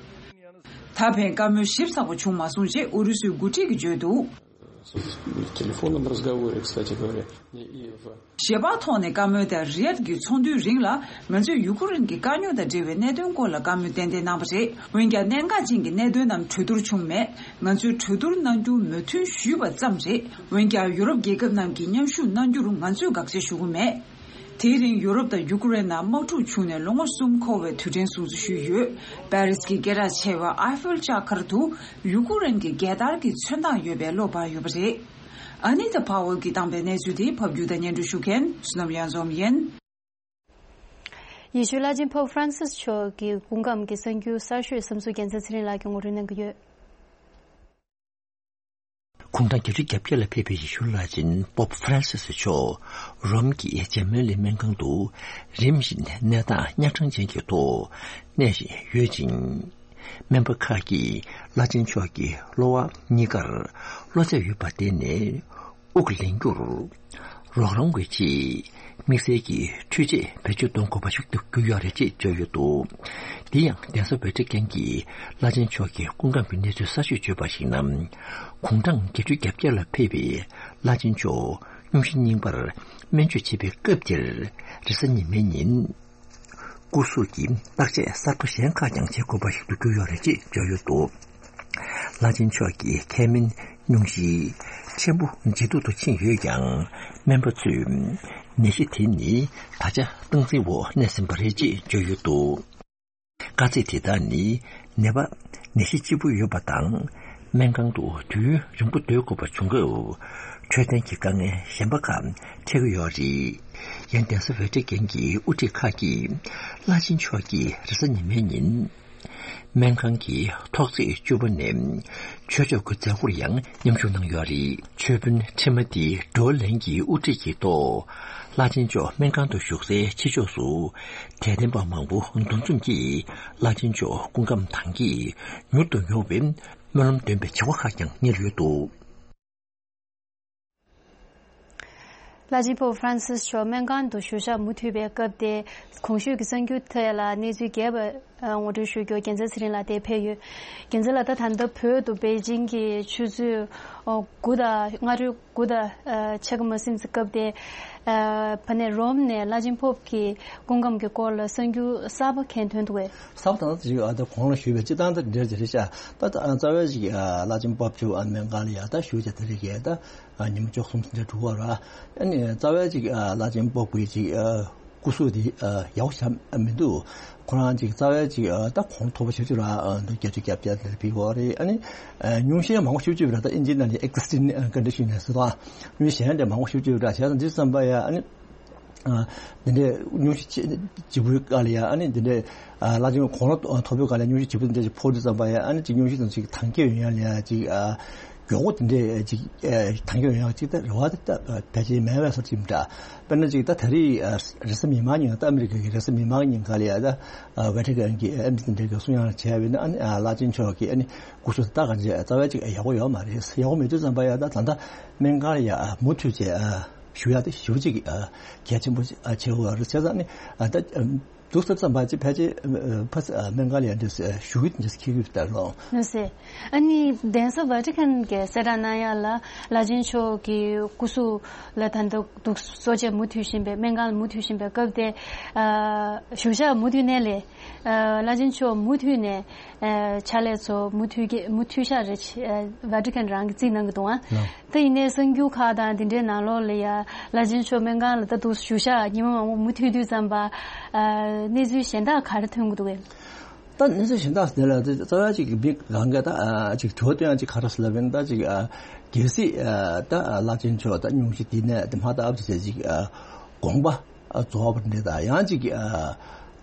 ད་ཕན་བཀའ་མོལ་ཞིབ་ཚགས་པོ་བྱུང་མ་སོང་ཅེས་ཨུ་རུ་སུའི་འགོ་ཁྲིད་ཀྱིས་བརྗོད་འདུག В телефонном разговоре, кстати говоря, и в ཞལ་པར་ཐོག་ནས་བཀའ་མོལ་དང་རི་ཡད་ཀྱི་ཚོགས་འདུའི་རིང་ལ་ང་ཚོས་ཡུ་ཀེ་རེན་གྱི་དཀའ་རྙོག་དང་འབྲེལ་བའི་གནད་དོན་སྐོར་ལ་བཀའ་མོལ་ཏན་ཏན་གནང་བ་རེད། འོན་ཀྱང་གནད་འགག་ཅན་གྱི་གནད་དོན་རྣམས་གྲོས་བསྡུར་བྱུང་མེད། ང་ཚོས་གྲོས་བསྡུར་གནང་རྒྱུ་མོས་མཐུན་ཞུས་པ་ཙམ་རེད། འོན་ཀྱང་ཡུ་རོབ་རྒྱལ་ཁབ་རྣམས་ཀྱིས་མཉམ་ཞུགས་གནང་རྒྱུར་ང་ཚོས་དགག་བྱ་ཞུ་གི་མེད། དེའི་རིང་ཡུ་རོབ་དང་ཡུ་ཀུ་རེན་ནང་དམག་འཁྲུག་བྱུང་ནས་ལོ་ངོ་གསུམ་འཁོར་བའི་དུས་དྲན་སྲུང་བརྩི་ཞུས་ཡོད། པེ་རིས་ཀྱི་སྐད་གྲགས་ཆེ་བ་ཨའི་ཧྥེལ་ལྕགས་མཁར་དུ་ཡུ་ཀུ་རེན་གྱི་རྒྱལ་དར་གྱི་ཚོན་མདངས་ཡོད་པའི་གློག་སྤར་ཡོད་པ་རེད། ཨ་ནི་ཏཱ་ཕ་ཝལ་གྱིས་བཏང་པའི་གནས་ཚུལ་དེ་ཕབ་སྒྱུར་དང་སྙན་སྒྲོན་ཞུ་མཁན་བསོད་ནམས་གཡང་འཛོམས་ཡིན། ཡེ་ཤུ་བླ་ཆེན་པོབ་ཧྥ་རན་སིས་མཆོག་གི་སྐུ་ཁམས་ཀྱི་གསར་འགྱུར་གསར་ཤོས་བསམ་ཚུལ་རྒྱལ་མཚན་ཚེ་རིང་ལགས་ཀྱིས་ངོ་སྤྲོད་གནང་གི་ཡོད། དགུང་གྲངས་བརྒྱད་ཅུ་གྱ་བརྒྱད་ལ་ཕེབས་པའི་ཡེ་ཤུ་བླ་ཆེན་པོབ་ཧྥ་རན་སིས་མཆོག་རོམ་གྱི་ཇེ་མེ་ལི་སྨན་ཁང་དུ་རིམ་བཞིན་གནས་སྟངས་གཉའ་ཁྲག་ཅན་གྱི་ཐོག་གནས་བཞིན་ཡོད་ཅིང་། སྨན་པ་ཁག་གིས་བླ་ཆེན་མཆོག་གི་གློ་བ་གཉིས་ཀར་གློ་ཚད་ཡོད་པར་བརྟེན་ནས། དབུགས་ལེན་རྒྱུར་རོགས་རམ་བྱེད་ཆེད་དམིགས་བསལ་གྱི་འཕྲུལ་ཆས་བེད་སྤྱོད་གཏོང་དགོས་པ་ཞིག་ཏུ་གྱུར་ཡོད་རེད་ཅེས་བརྗོད་ཡོད་འདུག། དེ་ཡང་གདན་ས་ཝེ་ཊི་ཀན་གྱི་བླ་ཆེན་མཆོག་གི་སྐུ་ཁམས་ཀྱི་གནས་ཚུལ་གསར་ཤོས་བརྗོད་པར་གཞིགས་ན། དགུང་གྲངས་བརྒྱད་ཅུ་གྱ་བརྒྱད་ལ་ཕེབས་པའི་བླ་ཆེན་མཆོག་སྙུང་གཞི་རྙིང་པར་སྨན་བཅོས་བྱེད་པའི་སྐབས་དེར་རེས་གཟའ་ཉི་མའི་ཉིན། སྐུ་གཟུགས་ཀྱི་བརྟག་དཔྱད་གསར་པ་གཞན་ཁག་ཀྱང་བྱེད་དགོས་པ་ཞིག་ཏུ་གྱུར་ཡོད་རེད་ཅེས་བརྗོད་ཡོད་འདུག། བླ་ཆེན་མཆོག་གི་ཁ་སྨན་སྙུང་གཞི་ཆེན་པོ་ཇེ་སྡུག་ཏུ་ཕྱིན་ཡོད་ཀྱང་། སྨན་པ་ཚོས་ནད་གཞི་དེ་ནི་ད་ཆ་སྟངས་འཛིན་འོག་གནས་ཟིན་པ་རེད་ཅེས་བརྗོད་ཡོད་འདུག། དཀའ་ཚེགས་དེ་དག་ནི་ནད་པ་ནད་གཞི་ལྕི་པོ་ཡོད་པ་དང་། སྨན་ཁང་དུ་དུས་ཡུན་རིང་པོ་སྡོད་དགོས་པ་བྱུང་སྐབས། འཕྲོད་བསྟེན་གྱི་དཀའ་ངལ་གཞན་པ་ཁག་འཕྲད་ཀྱི་ཡོད་རེད། ཡང་གདན་ས་ཝེ་ཊི་ཀན་གྱི་དབུ་ཁྲིད་ཁག་གིས་བླ་ཆེན་མཆོག་གིས་རེས་གཟའ་ཉི་མའི་ཉིན། སྨན་ཁང་གི་ཐོག་བརྩེགས་བཅུ་པ་ནས་ཆོས་ཕྱོགས་ཀྱི་མཛད་སྒོར་ཡང་མཉམ་ཞུགས་གནང་ཡོད་རེད། ཆོས་དཔོན་ཁྲི་མ་ཏི་ཌོ་ལན་གྱི་དབུ་ཁྲིད་ཀྱི་ཐོག་བླ་ཆེན་མཆོག་སྨན་ཁང་དུ་བཞུགས་སའི་ཕྱི་ཕྱོགས་སུ་དད་ལྡན་པ་མང་པོ་འདུ་འཛོམས་ཀྱིས་བླ་ཆེན་མཆོག་སྐུ་ཁམས་དྭངས་སྐྱེད་མྱུར་དུ་ཡོང་བའི་སྨོན་ལམ་འདོན་པའི་བྱ་བ་ཁག་ཀྱང་གཉེར་ཡོད་འདུག། བླ་ཆེན་པོབ་ཧྥ་རན་སིས་མཆོག་སྨན་ཁང་དུ་བཞུགས་ཞག་མུ་མཐུད་པའི་སྐབས་དེ། གོང་ཞུས་ཀྱི་གསར་འགྱུར་ཐད་ལ་གནས་ཚུལ་རྒྱས་པ་ངོ་སྤྲོད་ཞུ་རྒྱུར་རྒྱལ་མཚན་ཚེ་རིང་ལགས་དེ་ཕེབས་ཡོད། རྒྱལ་མཚན་ལགས། ད་ད་ལྟ་བོད་དུ་པེ་ཅིང་གི་ཆུ་ཚོད་དགུ་དང་སྔ་དྲོའི་དགུ་དང་ཕྱེད་ཀ་མ་ཟིན་ཙམ་སྐབས་དེ། ཕ་ནས་རོམ་ནས་བླ་ཆེན་པོབ་ཀྱི་སྐུ་ཁམས་ཀྱི་སྐོར་ལ་གསར་འགྱུར་གསར་པ་གང་ཐོན་འདུག་གས། གསར་པ་ད་ལྟ་ཅིག་ཨ་ད་གོང་ལ་ཞུས་པའི་སྤྱི་བཏང་ད་འདྲ་ཅིག་རེད་ཤག། ད་ད་རྩ་བའི་ཅིག་བླ་ཆེན་པོབ་མཆོག་སྨན་ཁང་ལ་ཡ་ད་བཞུགས་བྱས་དེ་རིང་གས་ད། ཉིན་མོ་བཅུ་གསུམ་ཟིན་འདྲ་འགྲོ་བ་ར། ཨ་ནི་རྩ་བའི་ཅིག་བླ་ཆེན་པོབ་ཀྱི་ཅིག་སྐུ་གཟུགས་དེ་ཡག་པོ་ཞིག་མི་འདུག། ཁོ་རང་ཅིག་རྩ་བའི་ཅིག་ད་གོང་མཐོ་པོ་ཞེ་པོ་ཅིག་ར་འདུག། བརྒྱད་ཅུ་གྱ་བརྒྱད་དེ་ཕེབས་པ་རེད། ཨ་ནི་སྙུང་གཞི་མང་པོ་ཞེ་པོ་ཅིག་ར་ད་ཨིན་ཇིའི་ནང་ནས་ཨེག་སི་ཊིན་ཀོན་ཌི་ཤན་ཟེར་དང་། སྙུང་གཞི་གཞན་འདྲ་མང་པོ་ཞེ་པོ་ཅིག་ར་བྱས་ཙང་འདི་བསམ་པ་ཡ། ཨ་ནི། འདི་འདྲའི་སྙུང་གཞི་ལྗིད་པོའི་སྐབས་ལ་ཡ། ཨ་ནི་འདི་འདྲའི་བླ་ཆེན་གོང་ལ་མཐོ་པོའི་སྐབས་ལ་སྙུང་གཞི་ལྗིད་པོ་འདི་འདྲ་ཅིག་ཕོག་དུས་ཙམ་པ་ཡ། ཨ་ནི་ཅིག་སྙུང་གཞི་དང་ཅིག་དྭངས་སྐྱེད་ཡོང་ཡ་ལ་ཡ་ཅིག་མགྱོགས་པོ་འདི་འདྲའི་ཅིག་དྭངས་སྐྱེད་ཡོང་ཡ་ཅིག་ད་རེ་བ་ད་ཕལ་ཆེར་མེད་པའི་བཟོ་ཅིག་འདྲ། དཔེར་ན་ཅིག་ད་ད་རེས་རེས་གཟའ་མིག་དམར་ཉིན། ད་ཨ་མི་རི་ཀ་གི་རེས་གཟའ་མིག་དམར་ཉིན་ག་ལ་ཡ་ད་ཝེ་ཊི་ཀན་གྱི་ཨེམ་སི་འདི་འདྲ་གི་གསུང་ཡང་བྱས་པ་ཡིན་ན། ཨ་ནི་བླ་ཆེན་མཆོག་གི་ཨ་ནི་སྐུ་གཟུགས་ད་ག་འདྲ་རྩ་བའི་ཅིག་ཡག་པོ་ཡོད་མ་རེད། ཡག་པོ་མེད་དུས་ཙམ་པ་ཡ། ད་ད་ལྟ་སྨན་ཁང་ལ་ཡ་མུ་མཐུད་བྱས་བཞུགས་ཡ་དེ་ཞེ་པོ་ཅིག་གལ་ཆེན་པོ་ཆེ་བོ་རེད། བྱས་ཙང་ནི་ད་འདུག་ས་ཙམ་པ་ཅིག་ཕལ་ཆེར་ཕ་སྨན་ཁང་ལ་ཡ་འདྲ་བཞུགས་ཡུལ་འདྲ་ཁེལ་གྱི་ཡོད་ད་ལོ། ལགས་སེ། ཨ་ནི་གདན་ས་ཝ་ཊི་ཀན་གྱི་གསལ་བསྒྲགས་གནང་ཡ་ལ། བླ་ཆེན་མཆོག་གི་སྐུ་གཟུགས་ལ་ད་ལྟ་འདུག་གསོ་དཔྱད་མུ་མཐུད་བཞིན་པའི། སྨན་ཁང་ལ་མུ་མཐུད་བཞིན་པའི་སྐབས་དེ། བཞུགས་ཞག་མུ་མཐུད་ནས་ལས། བླ་ཆེན་མཆོག་མུ་མཐུད་ནས། ཨ་ཕྱག་ལས་ཚོ་མུ་མཐུད་ཀྱི་མུ་མཐུད་ཤག་རེད། ཨ་ཝ་ཊི་ཀན་རང་གིས་རྩིས་གནང་གི་འདུག་ཨ། ལགས། ད་ཡིན་ནའི་གསར་འགྱུར་ཁག་དང་དེ་འདྲའི་ནང་ལོགས་ལ་ཡ། བླ་ཆེན་མཆོག་སྨན་ཁང་ལ་ད་དུང་བཞུགས་ཤག་ཉི་མ་མང་པོ་མུ་མཐུད་དུས་ཙམ་པ། ཨ་གནས་ཚུལ་གཞན་དག་ག་རེ་ཐོན་གྱི་འདུག་གས། ད་གནས་ཚུལ་གཞན་དག་དེ་ལ་ད་རྩ་བ་ཅིག་མི་གང་ག་ད་ཨ་ཅིག་དྲི་བ་བཏོན་ཡ་ཅིག་ག་རེ་ཟེར་ལབ་ཡིན་ན། ད་ཅིག་ཨ་གལ་སྲིད་ཨ་ད་ཨ་བླ་ཆེན་མཆོག་ད་སྙུང་གཞི་དེ་ནས་དེ་མ་ད་ཨབ་ཅིག་ཟེར་ཅིག་ཨ་དགོངས་པ། རྫོགས་པ་འདྲ་དང་། ཡང་ཅིག་ཨ་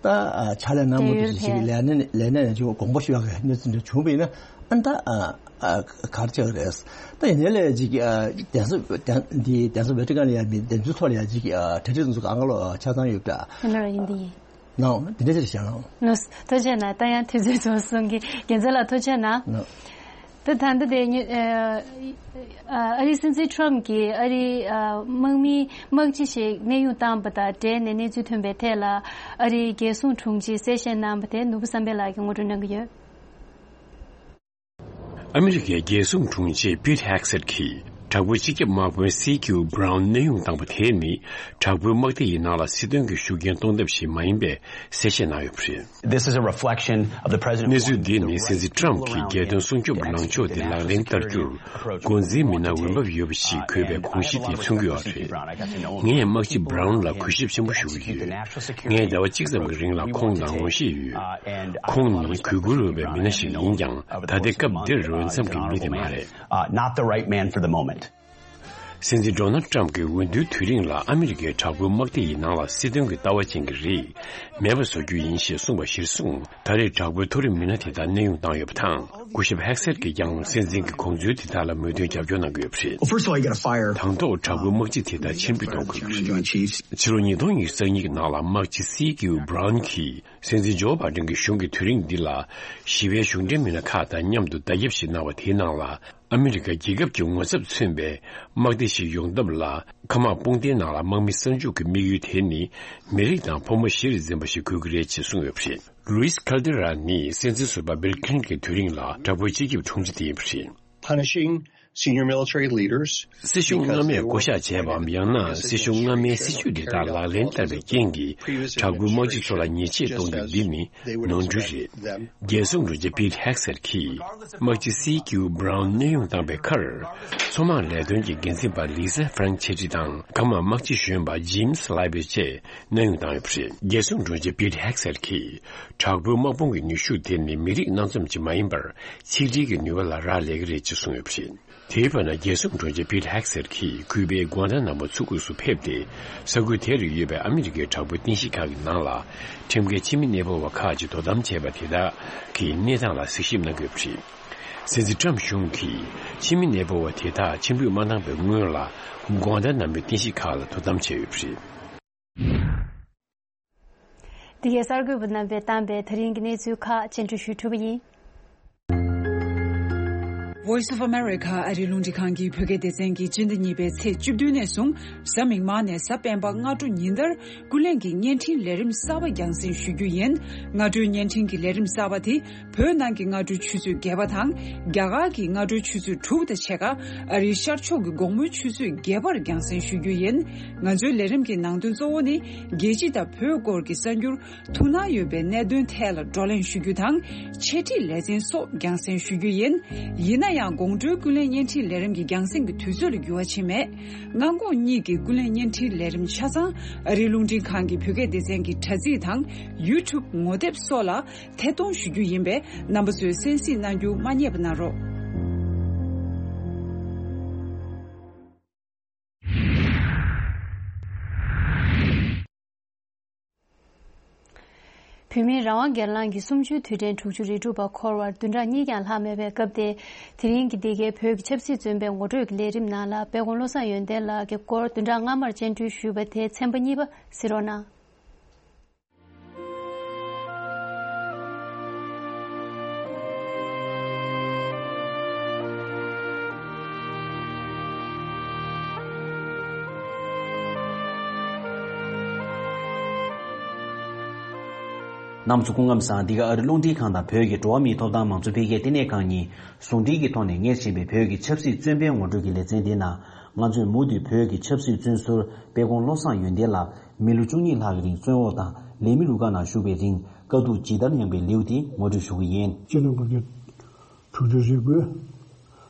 ད་ཨ་ཕྱག་ལས་གནང་མུ་མཐུད་ཅིག་ལས་གནས་ལས་གནས་ནས་ཅིག་དགོངས་པ་ཞུ་ཡག་གི་གནས་ཚུལ་འདྲ་བྱུང་བ་ཡིན་ན། ཨ་ད་ཨ་ཨ་ག་རེ་ཆགས་ཀྱི་རེད། ད་ཡིན་ནའི་ལས་ཅིག་ཨ་གདན་ས་གདན་འདི་གདན་ས་ཝེ་ཊི་ཀན་ལ་ཡ་མི་གདན་ཚུལ་ཐོག་ལ་ཡ་ཅིག་ཨ་གྲ་སྒྲིག་ཚོ་གང་ག་ལོ་ཆ་ཚང་ཡོད་པ་འདྲ། ཡིན་ལ་ཡིན་འདི་ཡིན། ནའོ་འདི་འདྲ་ཅིག་བྱས་ན། ལགས། ཐུགས་རྗེ་གནང་། ད་ཡང་དུས་ཚོད་རྫོགས་སོང་གི། རྒྱལ་མཚན་ལགས་ཐུགས་རྗེ་གནང་། ནའོ། ད་ད་ལྟ་དེ་ཉི་ཨ་ཨ་ཨ་རིའི་སྲིད་འཛིན་ཊམ་གྱིས་ཨ་རིའི་ཨ་དམག་མི་དམག་སྤྱི་ཞིག་གནས་དབྱུང་བཏང་པ་དང་འབྲེལ་ནས་གནས་ཚུལ་ཐོན་པའི་ཐད་ལ། ཨ་རིའི་རྒྱལ་སྲུང་དྲུང་ཆེས་གསལ་བཤད་གནང་པ་དེ་ནོར་བུ་བསམ་འཕེལ་ལགས་ཀྱིས་ངོ་སྤྲོད་གནང་གི་ཡོད། ཨ་མི་རི་ཀའི་རྒྱལ་སྲུང་དྲུང་ཆེ་པིཊ་ཧེག་སེད་ཀྱིས་ དྲག་པོའི་སྤྱི་ཁྱབ་དམག་དཔོན་སི་ཀིའུ་བྷ་རའུན་གནས་དབྱུང་བཏང་པ་དེ་ནི་དྲག་པོའི་དམག་སྡེ་ཡི་ནང་ལ་སྲིད་དོན་གྱི་ཤུགས་རྐྱེན་གཏོང་ཐབས་ཤིག་མ་ཡིན་པའི་གསལ་བཤད་གནང་ཡོད་པ་རེད། This is a reflection of the president. གནས་ཚུལ་འདི་ནི་སྲིད་འཛིན་ཊམ་གྱིས་རྒྱལ་དོན་སྲུང་སྐྱོབ་ལངས་ཕྱོགས་དེ་ལག་ལེན་བསྟར་རྒྱུར་འགོ་འཛིན་མི་སྣ་འོས་འབབ་ཡོད་པ་ཞིག་དགོས་པའི་དགོངས་གཞི་དེ་མཚོན་གྱི་ཡོད་རེད། ངས་དམག་སྤྱི་བྷ་རའུན་ལ་གུས་ཞབས་ཆེན་པོ་ཞུ་གི་ཡོད། ངས་ཟླ་བ་གཅིག་ཙམ་གྱི་རིང་ལ་ཁོང་དང་ངོ་ཤེས་ཡོད། ཁོང་ནི་གུས་བཀུར་འོས་པའི་མི་སྣ་ཞིག་ཡིན་ཀྱང་ད་ལྟའི་སྐབས་འདིར་འོས་འཚམ་གྱི་མི་དེ་མ་རེད། Uh, not the right man for the moment. སྲིད་འཛིན་ཌོ་ནལ་ཊམ་གྱིས་འོས་བསྡུའི་དུས་རིང་ལ་ཨ་མི་རི་ཀའི་དྲག་པོའི་དམག་སྡེ་ཡི་ནང་ལ་སྲིད་དོན་གྱི་ལྟ་བ་ཅན་གྱི་རིགས་མེད་པ་བཟོ་རྒྱུ་ཡིན་ཞེས་གསུངས་པ་གཞིར་བཟུང་ད་རེས་དྲག་པོའི་མཐོ་རིམ་མི་སྣ་དེ་དག་གནས་དབྱུང་བཏང་ཡོད་པ་དང་སྐུ་ཞབས་ཧེག་སེར་གྱིས་ཀྱང་སྲིད་འཛིན་གྱི་དགོངས་ཚུལ་དེ་དག་ལ་མོས་མཐུན་རྒྱབ་སྐྱོར་གནང་གི་ཡོད་པ་རེད། Well, first of all, you gotta fire. དང་ཐོག་དྲག་པོའི་དམག་སྤྱི་དེ་དག་ཕྱིར་འབུད་གཏོང་དགོས་པ་རེད། Chief General of Staff. ཕྱི་ལོ་ཉིས་སྟོང་ཉི་ཤུ་རྩ་གཉིས་ཀྱི་ནང་ལ་དམག་སྤྱི་སི་ཀིའུ་བྷ་རའུན་གྱིས་སྲིད་འཛིན་ཇོ་བྷའི་ཌེན་གྱི་གཞུང་གི་དུས་རིང་འདི་ལ་ཞི་བའི་གཞུང་འབྲེལ་མི་སྣ་ཁག་དང་མཉམ་དུ་བརྡ་ཁྱབ་ཞིག་གནང་བ་དེའི་ནང་ལ། ཨ་མི་རི་ཀ་རྒྱལ་ཁབ་ཀྱི་ངོ་ཚབ་མཚོན་པའི་དམག་སྡེ་ཞིག་ཡོང་ཐབས་ལ་མཁའ་དམག་དཔུང་སྡེའི་ནང་ལ་དམག་མི་གསར་འཇུག་གི་དམིགས་ཡུལ་དེ་ནི་མི་རིགས་དང་ཕོ་མོ་གཞིར་འཛིན་པ་ཞིག་དགོས་ཀྱི་རེད་ཅེས་གསུངས་ཡོད་པ་རེད། ལུའིས་ཁལ་ཏེ་ར་ནི་སྲིད་འཛིན་ཟུར་པ་བིལ་ཁིན་ཊོན་གྱི་དུས་རིང་ལ་དྲག་པོའི་སྤྱི་ཁྱབ་དྲུང་ཆེ་དེ་ཡིན་པ་རེད། Punishing senior military leaders. སྲིད་གཞུང་སྔ་མས་བསྐོ་གཞག་བྱས་པའམ་ཡང་ན་སྲིད་གཞུང་སྔ་མའི་སྲིད་ཇུས་འདི་དག་ལག་ལེན་བསྟར་བའི་རྐྱེན་གྱིས་དྲག་པོའི་དམག་སྤྱི་ཚོ་ལ་ཉེས་ཆད་གཏོང་རྒྱུ་འདི་ནི་ནོར་འཁྲུལ་རེད། རྒྱལ་སྲུང་དྲུང་ཆེ་པིད་ཧེག་སེར་གྱིས་དམག་སྤྱི་སི་ཀིའུ་བྷ་རའུན་གནས་དབྱུང་བཏང་པའི་ཁར། མཚོ་དམག་ལས་དོན་གྱི་འགན་འཛིན་པ་ལི་ས་ཧྥ་རན་ཆེ་ཏྲི་དང་མཁའ་དམག་དམག་སྤྱི་གཞོན་པ་ཇིམ་སི་ལའི་བེ་བཅས་གནས་དབྱུང་བཏང་ཡོད་པ་རེད། རྒྱལ་སྲུང་དྲུང་ཆེ་པིད་ཧེག་སེར་གྱིས་དྲག་པོའི་དམག་དཔུང་གི་ནུས་ཤུགས་དེ་ནི་མི་རིགས་སྣ་འཛོམས་ཀྱི་མ་ཡིན་པར་ཆིག་སྒྲིལ་གྱི་ནུས་པ་ལ་རག་ལས་ཀྱི་རེད་ཅེས་གསུངས་ཡོད་པ་རེད། དེའི་བར་ན་རྒྱལ་སྲུང་དྲུང་ཆེ་པིད་ཧེག་སེར་གྱིས་ཁུ་པའི་གུ་ཨན་ཏ་ན་མོ་མཚོ་ཁུག་སུ་ཕེབས་ཏེ་ས་ཁུལ་དེ་རུ་ཡོད་པའི་ཨ་མི་རི་ཀའི་དྲག་པོའི་རྟེན་གཞི་ཁག་གི་ནང་ལ་ཁྲིམས་འགལ་ཕྱི་མི་གནས་སྤོ་བ་ཁག་ཅིག་དོ་དམ་བྱས་པ་དེ་དག་གི་གནས་སྟངས་ལ་གཟིགས་ཞིབ་གནང་གི་ཡོད་པ་རེད། སྲིད་འཛིན་ཊམ་གཞུང་གིས་ཕྱི་མི་གནས་སྤོ་བ་དེ་དག་ཕྱིར་འབུད་མ་གནང་བའི་སྔོན་ལ་གུ་ཨན་ཏ་ན་མོའི་རྟེན་གཞི་ཁག་ལ་དོ་དམ་བྱས་ཡོད་པ་རེད། འདི་གའི་གསར་འགོད་པ་རྣམ་པས་བཏང་པའི་ད་རིང་གི་གནས་ཚུལ་ཁག་སྤྱན་འབུལ་ཞུས་གྲུབ་པ་ཡིན། Voice of America ཨ་རིའི་རླུང་འཕྲིན་ཁང་གི་བོད་སྐད་སྡེ་ཚན་གྱིས་སྤྱི་ཟླ་གཉིས་པའི་ཚེས་བཅུ་བདུན་ནས་བཟུང་གཟའ་མིག་དམར་ནས་གཟའ་སྤེན་པ་སྔ་དྲོ་ཉིན་ལྟར་ཀུན་གླེང་གི་བརྙན་འཕྲིན་ལས་རིམ་གསར་པ་རྒྱང་སྲིང་ཞུ་རྒྱུ་ཡིན། སྔ་དྲོའི་བརྙན་འཕྲིན་གྱི་ལས་རིམ་གསར་པ་དེ་བོད་ནང་གི་སྔ་དྲོའི་ཆུ་ཚོད་བརྒྱད་པ་དང་རྒྱ་གར་གྱི་སྔ་དྲོའི་ཆུ་ཚོད་དྲུག་དང་ཕྱེད་ཀ་ཨ་རིའི་ཤར་ཕྱོགས་ཀྱི་དགོང་མོའི་ཆུ་ཚོད་བརྒྱད་པར་རྒྱང་སྲིང་ཞུ་རྒྱུ་ཡིན། ང་ཚོའི་ལས་རིམ་གྱི་ནང་དོན་གཙོ་བོ་ནི་རྒྱལ་སྤྱི་དང་བོད་སྐོར་གྱི་གསར་འགྱུར། ཐུགས་སྣང་ཡོད་པའི་གནད་དོན་ཐད་ལ་བགྲོ་གླེང་ཞུ་རྒྱུ་དང་། འཆད་ཁྲིད་ལེ་ཚན་སོགས་རྒྱང་སྲིང་ཞུ་རྒྱུ་ཡིན། ཡིན་ན་ཡང་དགོང་དྲོའི་ཀུན་གླེང་བརྙན་འཕྲིན་ལས་རིམ་གྱི་རྒྱང་སྲིང་གི་དུས་ཚོད་ལ་འགྱུར་བ་ཕྱིན་མེད། སྔ་དགོང་གཉིས་ཀྱི་ཀུན་གླེང་བརྙན་འཕྲིན་ལས་རིམ་ཆ་ཚང་ཨ་རིའི་རླུང་འཕྲིན་ཁང་གི་བོད་སྐད་སྡེ་ཚན་གྱི་དྲ་ཚིགས་དང་ཡུ་ཊུབ་ངོ་དེབ་སོགས་ལ་ཐད་གཏོང་ཞུ་རྒྱུ་ཡིན་པས་རྣམ་པ་ཚོས་གསན་གཟིགས་གནང་རྒྱུ་མ་བསྙེལ་བ་གནང་རོགས། བོད་མིའི་རང་དབང་སྒེར་ལངས་ཀྱི་གསུམ་བཅུའི་དུས་དྲན་དྲུག་ཅུ་རེ་དྲུག་པ་འཁོར་བར་བདུན་ཕྲག་གཉིས་ཀྱང་ལྷག་མེད་པའི་སྐབས་ཏེ། དེ་རིང་གི་འདི་གའི་བོད་ཀྱི་ཆབ་སྲིད་བཙོན་པའི་ངོ་སྤྲོད་ཀྱི་ལས་རིམ་ནང་ལ་དཔལ་ཁོང་བློ་བཟང་ཡོན་ཏན་ལགས་ཀྱི་སྐོར་བདུན་ཕྲག་སྔ་མར་སྤྱན་འབུལ་ཞུས་པ་དེའི་ཚན་པ་གཉིས་པ་གཟིགས་རོགས་གནང་། རྣམ་ཚོ་སྐུ་ཁམས་བཟང་། འདི་ག་ཨ་རི་རླུང་འཕྲིན་ཁང་དང་བོད་ཀྱི་འགྲོ་བ་མིའི་ཐོབ་ཐང་མང་གཙོ་འཕེལ་རྒྱས་ལྟེ་གནས་ཁང་གཉིས་ཟུང་འབྲེལ་གྱི་ཐོག་ནས་གཉེར་བཞིན་པའི་བོད་ཀྱི་ཆབ་སྲིད་བཙོན་པའི་ངོ་སྤྲོད་ཀྱི་ལེ་ཚན་འདི་ནང་ང་ཚོས་མུ་མཐུད་བོད་ཀྱི་ཆབ་སྲིད་བཙོན་ཟུར་དཔལ་ཁོང་བློ་བཟང་ཡོན་ཏན་ལགས་མི་ལོ་བཅུ་གཉིས་ལྷག་གི་རིང་བཙོན་འོག་དང་ལས་མི་རུ་ཁག་ནང་བཞུགས་པའི་རིང་དཀའ་སྡུག་ཇི་ལྟར་མྱངས་པའི་ལེའུ་དེ་ངོ་སྤྲོད་ཞུ་གི་ཡིན། སྤྱི་ལོ་དགུ་བརྒྱ་དྲུག་ཅུ་རེ་དགུའི་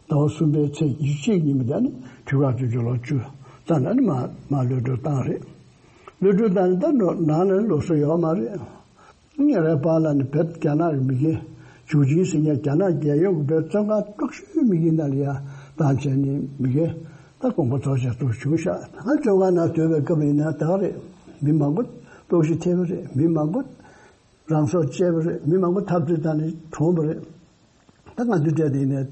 ཟླ་བ་གསུམ་པའི་ཚེས་ཉི་ཤུ་གཅིག་ཉིན་མོ་དེ་ནི་དུས་རབས་བཅུ་གཅིག་ལོ་བཅུ་ཙམ་ལ་ནི་མ་མ་གློད་གྲོལ་བཏང་རེད། གློད་གྲོལ་བཏང་ནས་ད་ནང་ནང་ལ་ལོགས་སུ་ཡོད་མ་རེད། ཉེ་བའི་བར་ལ་ནི་བོད་རྒྱ་ནག་གི་མི་སྒེར་ཇུའུ་ཅིན་ཟེར་མཁན་རྒྱ་ནག་རྒྱལ་ཡོངས་ཀྱི་བོད་བཙོན་ཁང་དཀྲུག་ཤོས་མི་སྒེར་ནང་ལ་ཡ་བཏང་བྱས་ནས་མི་སྒེར་ད་དགོངས་པ་རྫོགས་བྱས་ཏོག་བྱུང་ཤག་ད་བཙོན་ཁང་ནང་སྡོད་པའི་སྐབས་ཡིན་ན་ད་ག་རེད། མི་མང་པོ་ལྟོགས་ཤི་ཐེབས་པ་རེད། མི་མང་པོ་རང་སྲོག་བཅད་པ་རེད། མི་མང་པོ་འཐབ་རྩོད་བཏང་ནས་གྲོངས་པ་རེད། ད་ང་ཚོའི་གྲས་དེ་ནས་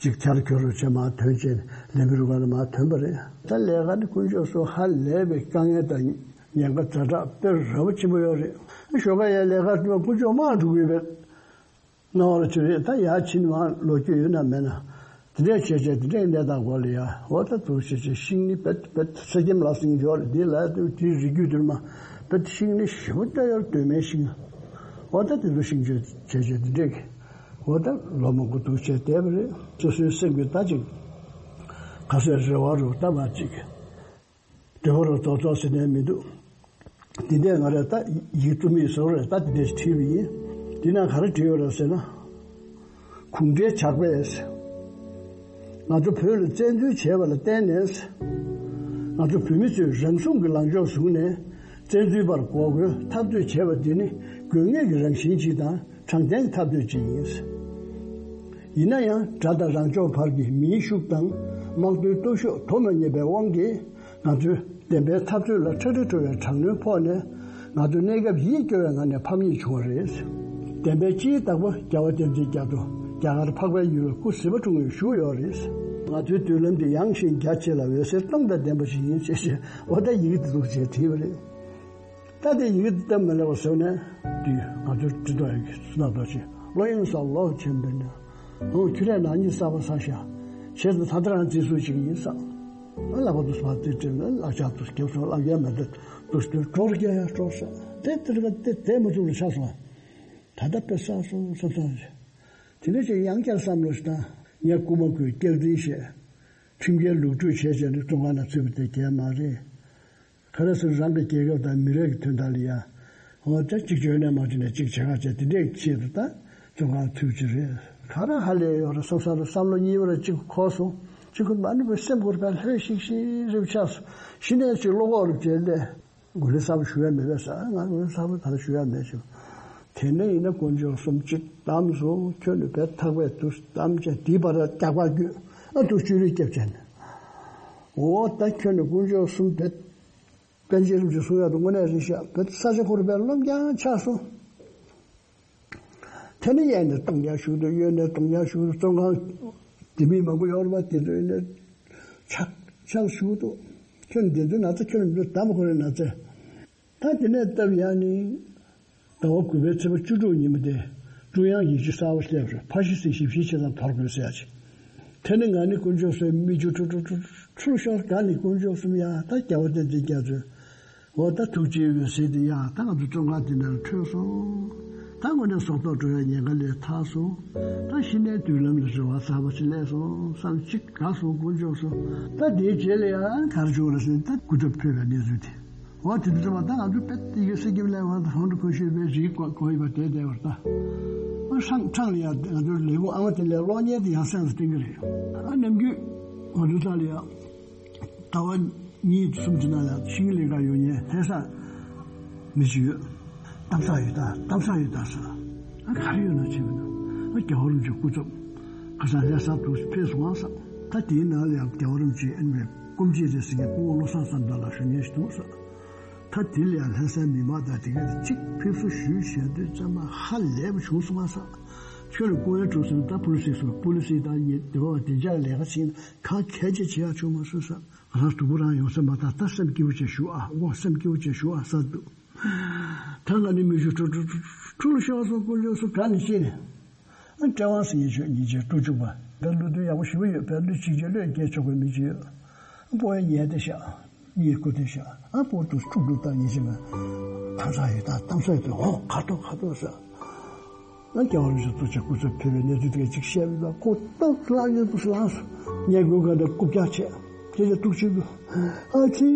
ཅིག་ཆར་ཁྱོད་རུ་ཆེ་མ་ཐོན་ཆེན་ལས་མི་རུ་ཁག་ལ་མ་ཐོན་པ་རེད། ད་ལས་ཀ་ནི་དཀོན་མཆོག་གསུམ་ཧ་ལས་པའི་དཀའ་ངལ་དང་ཉེན་ཁ་ཛ་དྲག་དཔེ་ར་བ་ཆེན་པོ་ཡོད་རེད། ཞོགས་ཀ་ཡའི་ལས་ཀ་དུ་མ་དཀོན་མཆོག་མང་འགྲོ་གི་ཡོད་པའི་སྣང་བ་ཅིག་རེད། ད་ཡར་ཕྱིན་མ་ལོ་རྒྱུས་ཡོད་ན་མེད་ན་དེ་འདྲས་བྱས་བྱས་དེ་འདྲས་གནས་སྟངས་སྐོར་ལ་ཡ་འོ་ད་དུ་བྱས་བྱས་ཤིང་ནི་བེད་བེད་ས་ཁྱིམ་ལ་སྲིང་ཡོད་རེད། དེ་ལ་དུ་དེའི་རིགས་རྒྱུད་དུ་མ་བེད་ཤིང་ནི་ཞེ་པོ་ལྟ་ཡོད་སྟོད་སྨད་ཤིང་འོ་ད་དེ་ཚོ་ཤིང་གཅོད་བྱས་བྱས་དེ་འདྲས་ཀྱི། འོ་ད་ལོ་མང་པོ་འདུག་བྱས་བསྡད་པ་རེད། སོ་སོའི་སེམས་ཀྱི་ད་ཅིག་ ཁ་སའི་རེ་བ་རུ་ལྟ་བ་ཅིག་འདོད་པ་རུ་རྫོགས་རྫོགས་ཟེར་ནས་མི་འདུག་འདི་འདྲས་ང་རས་ད་ཡིག་རྩོམ་ཡིག་བཟོ་རེད། ད་འདི་འདྲས་བྲིས་པ་ཡིན། འདི་ན་ག་རེ་བྲིས་ཡོད་རེད་ཟེར་ན། གུང་ཁྲན་ཇག་པས་ང་ཚོ་བོད་ལ་བཙན་འཛུལ་བྱས་པ་ལ་བརྟེན་ནས། ང་ཚོ་བོད་མི་ཚོས་རང་སྲུང་གི་ལངས་ཕྱོགས་བཟུང་ནས། བཙན་འཛུལ་པར་འགོག་རྒོལ་འཐབ་རྩོད་བྱས་པ་འདི་ནི་དགོས་ངེས་ཀྱི་རང་བཞིན་ཅིག་དང་། དྲང་བདེན་གྱི་འཐབ་རྩོད་ཅིག་ཡིན། ཡིན་ན་ཡང་དགྲ་དང་རང་ཕྱོགས་བར་གྱི་མིའི་ཤུགས་དང་དམག་དོན་སྟོབས་ཤུགས་དོ་མ་མཉམ་པའི་དབང་གིས། ང་ཚོའི་བདེན་པའི་འཐབ་རྩོད་ལ་ཁྲ་ཁྲ་འགྲོ་བའི་དྲག་གནོན་ཕོག་ནས། ང་ཚོ་གནས་སྐབས་ཡིད་སྐྱོ་བའི་ངང་ནས་ཕམ་ཉེས་བྱུང་བ་རེད། བདེན་པའི་སྤྱིའི་བདག་པོ་རྒྱལ་བ་བསྟན་འཛིན་རྒྱ་མཚོ་རྒྱ་གར་འཕགས་པའི་ཡུལ་ལ་སྐུ་ཟིལ་པ་འཁྲུངས་ནས་བཞུགས་ཡོད་རེད། ང་ཚོའི་མདུན་ལམ་འདི་ཡངས་ཤིང་རྒྱ་ཆེ་ལ་འོད་ཟེར་སྟོང་དང་ལྡན་པ་ཞིག་ཡིན་ཞེས་བཤད། འོ་ད་ཡི་གེ་འདི་འདུག་ཅེས་བྲིས་པ་རེད། ད་དེ་ཡི་གེ་འདི་སྟབས་མ་ལེགས་པ་བཟོས་ནས། དུས་ང་ཚོ་འབྲི་ཐོག་ཡི་གེ་སུ་ན་ཐོག་ཆེ་བློ་གཡེང་སོགས་ལོག་ཕྱིན་པས་ན། འོ་ཁྱོད་རས་ནག་ཉེས་གསར་པ་བསགས་ཤག་བྱས་ཙང་ད་ལྟ་རང་རྩིས་སུ་ཅིག་ཡིན་ས། ཨ་ལག་པ་དུ་སུ་མ་རྩིས་སྤྲད་ན་ལག་ཆ་དུ་རྒྱབ་སོང་། ལག་ཡ་མ་དེ་དུ་སྟོད་གྲོགས་རྒྱ་ཡ་གྲོགས་ས་དེ་དེ་རིག་དེ་དེ་མ་ཚུགས་ལ་ཆགས་སོང་། ད་ལྟ་དཔེ་བསགས་སོང་བསམ་བསམ་བྱས། དེ་འདྲ་ཅིག་ཡང་བསྐྱར་བསམ་བློ་ཞིག་བཏང་། ངས་རྐུ་མ་རྐུས་སྐྱག་རྫུན་བཤད། ཁྲིམས་འགལ་ལུག་འཕྲུག་བྱས་བྱས་ནས་བཙོན་ཁང་ནང་ཚུད་པ་དེ་གལ་མ་རེད། ག་རེ་ཟེར་རང་གི་རྒྱལ་ཁབ་དང་མི་རིགས་ཀྱི་དོན་དག་ལ་ཡ། འོ་ད་གཅིག་བྱོས་ནས་མ་བྱོས་ནས་གཅིག་བྱེད་ག་བྱས་དེ་འདྲས་ཆེད་དུ་ད་བཙོན་ཁང་ཚུད་ཀྱི་རེད། ག་རེ་ཧ་ལས་ཡོད་རེད་བསམ་བསམ་བསམ་བློ་གཉིས་པ་རེ་གཅིག་འཁོར་སོང་། གཅིག་ཁོ་མ་ནི་བའི་སེམས་ཁུར་བས་ལྷོད་ཤིག་ཤིག་རིབ་ཆགས་སོང་། གཞི་ནས་གཅིག་བློ་ཁོག་རུ་བྱས་ནས། འགུལ་ལས་གསར་པ་ཞུ་ཡ་མེད་པས་ཟེར། ང་འགུལ་ལས་གསར་པ་ད་ལྟ་ཞུ་ཡ་མེད་ཞུ། དེ་ནས་ཡིན་ན་དཀོན་མཆོག་གསུམ་གཅིག་གཏམས་སོང་། ཁྱོད་ནི་བས་ཐག་པས་དུ་གཏམས་བྱས་དེའི་བར་རྒྱག་པ་རྒྱུད་ཨ་དུ་བཅུ་རིགས་སྐྱབས་བྱས་ནས། འོ་ད་ཁྱོད་ནི་དཀོན་མཆོག་གསུམ་བས། པཎ་ཆེན་རིན་པོ་ཆེ་གསུང་ཡག་ཏུ་དངོས་གནས་རེད་ཤག་བས་ས་ཆ་ཁོ་རུ་བས་རློམ་རྐྱང་ཆགས་སོང་། དེ་ནས་གཡས་ནས་གཏོང་རྐྱང་ཞུགས་འདུག་གཡོན་ནས་གཏོང་རྐྱང་ཞུགས་འདུག་བཙོན་ཁང་དེ་མི་མང་པོ་ཡོད་རེད་པ། དེ་ཚོ་ཡིན་ནས་ཆག་ཆག་ཞུགས་འདུག་ཁྱོད་འདི་ཚོའི་ན་ཚ་ཁྱོད་འདི་ཚོ་དམ་ཁོ་རའི་ན་ཚ། ད་དེ་ནས་སྟབས་ཡག་ནི། ཟླ་བ་དགུ་པའི་ཚེས་པ་བཅུ་དྲུག་ཉིན་མོ་དེ། ཀྲུང་དབྱང་ཡིག་ཆ་གསར་པ་སླེབས་རེད། ཕ་ཤི་སི་ཞིབ་བཤེར་བྱེད་སྟངས་དོར་དགོས་ཟེར་ཡ་ཅིག་དེ་ནི་ང་ནི་དཀོན་མཆོག་གསུམ་མིག་ཆུ་ཁྲུ་ཁྲུ་ཁྲུ་ཁྲུ་ཤོར། ག་ནི་དཀོན་མཆོག་གསུམ་ཡ་ད་རྒྱལ་བ་བསྟན་འཛིན་རྒྱ་མཚོས། འོ་ད་ཐུགས་རྗེའི་འོད་ཟེར་དེ་ཡ་ད་ང་ཚོ་བཙོན་ཁང་འདི་ནང་ལ་འཕྲོས་སོང་། ད་དངོས་གནས་སྲོག་ཐོག་འགྲོ་བའི་ཉེན་ཁ་ལས་ཐར་སོང་། ད་གཞི་ནས་མདུན་ལམ་ལ་རེ་བ་གསར་པ་ཞིག་སླེབས་སོང་བསམ་གཅིག་དགའ་སོང་། དཀོན་མཆོག་གསུམ། ད་དེའི་རྗེས་ལ་ཡང་ག་རེ་བྱུང་བ་རེད་ཟེར་ན་ད་སྐུ་ཚབ་ཕེབས་པའི་གནས་ཚུལ་དེ། འོ་དེ་འདྲ་ཙམ་པ་ད་ང་ཚོ་དཔེ་ཡི་གེ་གསེར་སྐྱེམས་ལས་བར་དུ་གང་དུ་གོ་ཤེས་པའི་རིགས་གོ་གོ་ཡི་བ་དེ་བསྡད་པར་ད། ཨ་ཧྲང་ཧྲང་ལ་ཡང་ང་ཚོའི་ལས་ཁུངས་ཨ་མ་དེ་ལས་གློག་བརྙན་དེ་ཡང་སེམས་སུ་བསྟན་གྱི་རེད། ཨ་ནམ་རྒྱུན་ང་ཚོའི་ས་ལ་ཡང་ཟླ་བ་གཉིས་གསུམ་གྱི་ནང་ལ་ཤིང་ལས་ཀ་ཡོད་མཁན་ལྷ་ས་མི་ཞིག་ཡོད། གཏམ་ས་ཡོད་ད་གཏམ་ས་ཡོད་ད་ཟེར། ཨ་ག་རེ་ཡོད་ན་བྱས་པ་ན་ཨ་རྒྱལ་བ་རིན་པོ་ཆེ་སྐུ་ཚབ་ཁ་སང་ལྷ་ས་དུ་ཕེབས་སོང་ཨ་ཟེར། ད་དེའི་ནང་ལ་ཡང་རྒྱལ་བ་རིན་པོ་ཆེ་ཨ་ནི་སྐུ་མཆེད་རེད་ཟེར་མཁན་སྐུ་ངོ་བློ་བཟང་བསམ་གྲུབ་ལགས་ཞུ་མཁན་ཞིག་འདུག་ཟེར། ད་དེ་ལ་ཡང་ལྷ་སའི་མི་མང་དང་དེ་ག་གཅིག་ཕེབས་བསུ་ཞུས་བྱས་དུས་ཙམ་པ་ཧ་ལས་པ་བྱུང་སོང་ང་ཟེར། ཁྱོད་ལ་སྐུ་ངལ་འཕྲོད་སོང་ན་ད་པུ་ལི་སི་སོགས་པུ་ལི་སི་དང་ཉེ་དེ་བ་བདེ་འཇགས་ལས་ཀ་བྱེད་ན་གང་གལ་ཆེ་བྱེད་ཡག་བྱུང་མ་སོང་ཟེར། ང་རང་སྡུག་པོ་རང་ཡོང་ས་མ་ཐག་ད་སེམས་སྐྱིད་པོ་བྱས་བཞུགས་ཨ། འོ་སེམས་སྐྱིད་པོ་བྱས་བཞུགས་ཨ་ཟེར་འདུག་ད་ང་ནི་མི་ཞུ་ཁྲུ་ཁྲུ་ཁྲུ་ཁྲུ་ལ་ཤོར་སོང་། དཀོན་མཆོག་གསུམ་ག་ནས་ཤེས་ནས། ཨ་ཀྲེ་ཝང་ཟེར་ཡིན་ཆོག་ཉིན་བྱེད་སྤྲོ་བཅུག་པ་ད་བློ་མཐུན་ཡག་པོ་ཞེ་པོ་ཡོད་པས་བློ་གཅིག་བྱས་བློས་འགེལ་ཆོག་པའི་མི་ཅིག་ཡོད། ཨ་སྤོ་ཡ་ཉལ་བསྡད་ཤག་གཉིད་ཁུག་བསྡད་ཤག་ཨ་སྤོ་དུ་ཁྲུག་ཁྲུག་བཏང་ཡིན་ཟེར་ན། གཏམ་ས་ཡོད་ད་གཏམ་ས་ཡོད་དུ་ཧོ་ཁ་ཐོག་ཁ་ཐོག་ཟེར། ཨ་རྒྱལ་བ་རིན་པོ་ཆེ་གཙོ་ཆེ་སྐུ་ཚབ་ཕེབས་པའི་གནས་ཚུལ་དེ་ག་ཅིག་བཤད་པ་ཡིན་ན་ཁོ་ཏོག་ལངས་ཡོད་དུ་ལངས་སོང་། ཉལ་དགོས་ག་འདྲ་རྐུབ་བཀྱག་བྱས། དེ་ལ་ཐུགས་ཆེ་དུ། ཨ་ཙི།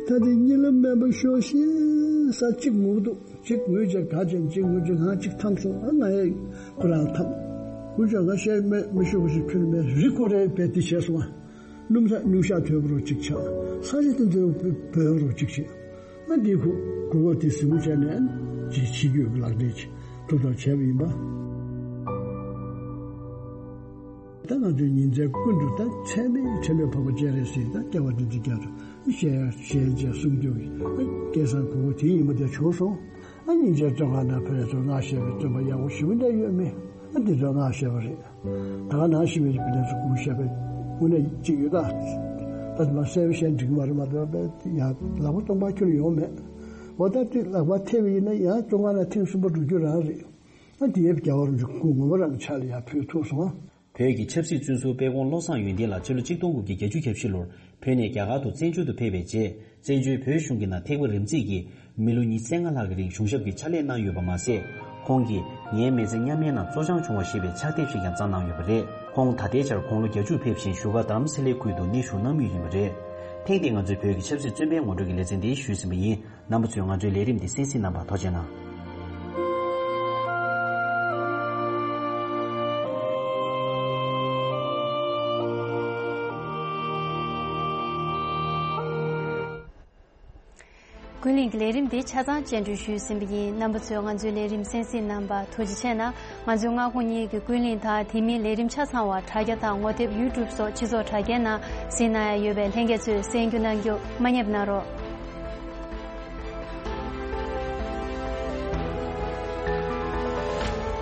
ད་དེ་གཉིད་ལམ་མེད་པ་ཤོག་ཤེས་ས་གཅིག་ངུ་འདུག་གཅིག་ངུས་བྱས་ག་ཅན་གཅིག་ངུས་བྱས་ང་གཅིག་འཐམས་སོང་། ཨ་ང་ཡ་ཁོ་རང་འཐམས། ངུ་བྱས་ང་བཤད་མེད་མི་ཤོག་གི་ཞིག་ཁྱོད་མེད་རི་ཁོ་རེ་བས་དེ་བྱས་སོང་ཨ། སྣུམ་ས་སྣུམ་ཤག་དོད་པོ་རུ་གཅིག་ཆགས། ས་ཆ་དེ་ཚོའི་བོད་རུ་གཅིག་བྱས། ཨ་འདི་ཁུ་གུ་གོ་དེ་གཟིགས་མོ་བྱས་ནས་ཅིག་ཕྱི་རྒྱུད་ཀྱི་ལག་འབྲེལ་ཅིག་ཐུབ་ཐབས་བྱས་པ་ཡིན་པ། ད་ང་ཚོའི་ཉིན་མཚན་ཀུན་ཏུ་ད་ཚད་མེད་ཁྲེལ་མེད་འཕགས་པ་སྤྱན་རས་གཟིགས་དང་རྒྱལ་བ་རིན་པོ་ཆེ་རྒྱ་མཚོ་ཞལ་ཞལ་མཇལ་གསུང་རྒྱུ་གི་སྐལ་བཟང་གོ་བོ་དེའི་ཉིན་མོ་དེ་བྱུང་སོང་། ཨ་སྙིང་རྗེ་བཙོན་ཁང་ནང་བོད་རྒྱལ་ཚོས་སྔར་བཤད་པའི་བཙུན་པ་ཡག་པོ་ཞེ་པོ་འདྲ་ཡོད་མེད་ཨ་འདི་ཚོ་སྔར་བཤད་པ་རེད། ད་ག་ནང་བཞིན་པའི་བོད་རྒྱལ་ཚོ་སྐུ་བཤད་པའི་དངོས་གནས་གཅིག་ཡོད་ད། ད་དེ་མ་གསལ་པོ་བཤད་འགྲིག་གི་མ་རེད་མ་གཏོགས་པའི་ཡང་ལག་པ་སྟོང་པ་ཁྱོན་ཡོང་མེད། འོ་ད་དེ་ལག་པ་ཐེབས་པ་ཡིན་ན་ཡང་བཙོན་ཁང་ནང་ཐེངས་གསུམ་པ་འགྲོ་རྒྱུ་རང་རེད། ཨ་དེའི་རྒྱལ་བ་རིན་པོ་ཆེ་སྐུ་ངོ་མ་རང་གི་ཕྱག་ལ་ཡར་ཕུལ་ཐུབ་སོང་ཨ། བོད་ཀྱི་ཆབ་སྲིད་བཙོན་ཟུར་དཔལ་ཁོང་བློ་བཟང་ཡོན་ཏན་ལགས་ཕྱི་ལོ་ཆིག་སྟོང་དགུ་བརྒྱ་བརྒྱད་ཅུ་གྱ་བཞི་ལོར་བོད་ནས་རྒྱ་གར་དུ་བཙན་བྱོལ་དུ་ཕེབས་པའི་རྗེས། བཙན་བྱོལ་བོད་གཞུང་གི་ནང་ཐེག་པ་རིམ་བརྩེགས་ཀྱིས་མི་ལོ་ཉི་ཤུ་རྩ་ལྔ་ལྷག་གི་རིང་གཞུང་ཞབས་ཀྱི་ཕྱག་ལས་གནང་ཡོད་པ་མ་ཟད། ཁོང་གིས་ངའི་མི་ཚེ་མཉམ་མེད་ནང་གཙོ་བྱང་བྱུང་བ་ཞེས་པའི་ཕྱག་དེབ་ཞིག་ཀྱང་བརྩམས་གནང་ཡོད་པ་རེད། ཁོང་ད་ལྟའི་ཆར་དགུང་ལོ་བརྒྱད་ཅུ་ཕེབས་ཤིང་བཞུགས་སྒར་རྡ་རམ་ས་ལའི་ཁུལ་དུ་གནས་བཞུགས་གནང་མུས་ཡིན་པ་རེད། ཐེངས་འདིའི་ང་ཚོའི་བོད་ཀྱི་ཆབ་སྲིད་བཙོན་པའི་ངོ་སྤྲོད་ཀྱི་ལེ་ཚན་འདི་ཞུས་ཟིན་པ་ཡིན། རྣམ་པ་ཚོས་ང་ཚོའི་ལས་རིམ་འདི་གསན་གཟིགས་གནང་བར་ཐུགས་རྗེ་གནང་། ཀུན་གླེང་གི་ལས་རིམ་འདི་ཆ་ཚང་སྤྱན་འབུལ་ཞུས་ཟིན་པ་ཡིན། རྣམ་པ་ཚོས་ང་ཚོའི་ལས་རིམ་གསན་གཟིགས་གནང་བར་ཐུགས་རྗེ་ཆེ་གནང་། ང་ཚོའི་སྔ་དགོང་གཉིས་ཀྱི་ཀུན་གླེང་དང་དེ་མིན་ལས་རིམ་ཆ་ཚང་བ་དྲ་རྒྱ་དང་ངོ་དེབ་YouTube་སོགས་སྤྱི་ཚོགས་དྲ་རྒྱའི་ནང་གཟིགས་གནང་ཡ་ཡོད་པས་ལྷན་རྒྱས་ཚོས་གསན་རྒྱུ་གནང་རྒྱུ་མ་བསྙེལ་གནང་རོགས།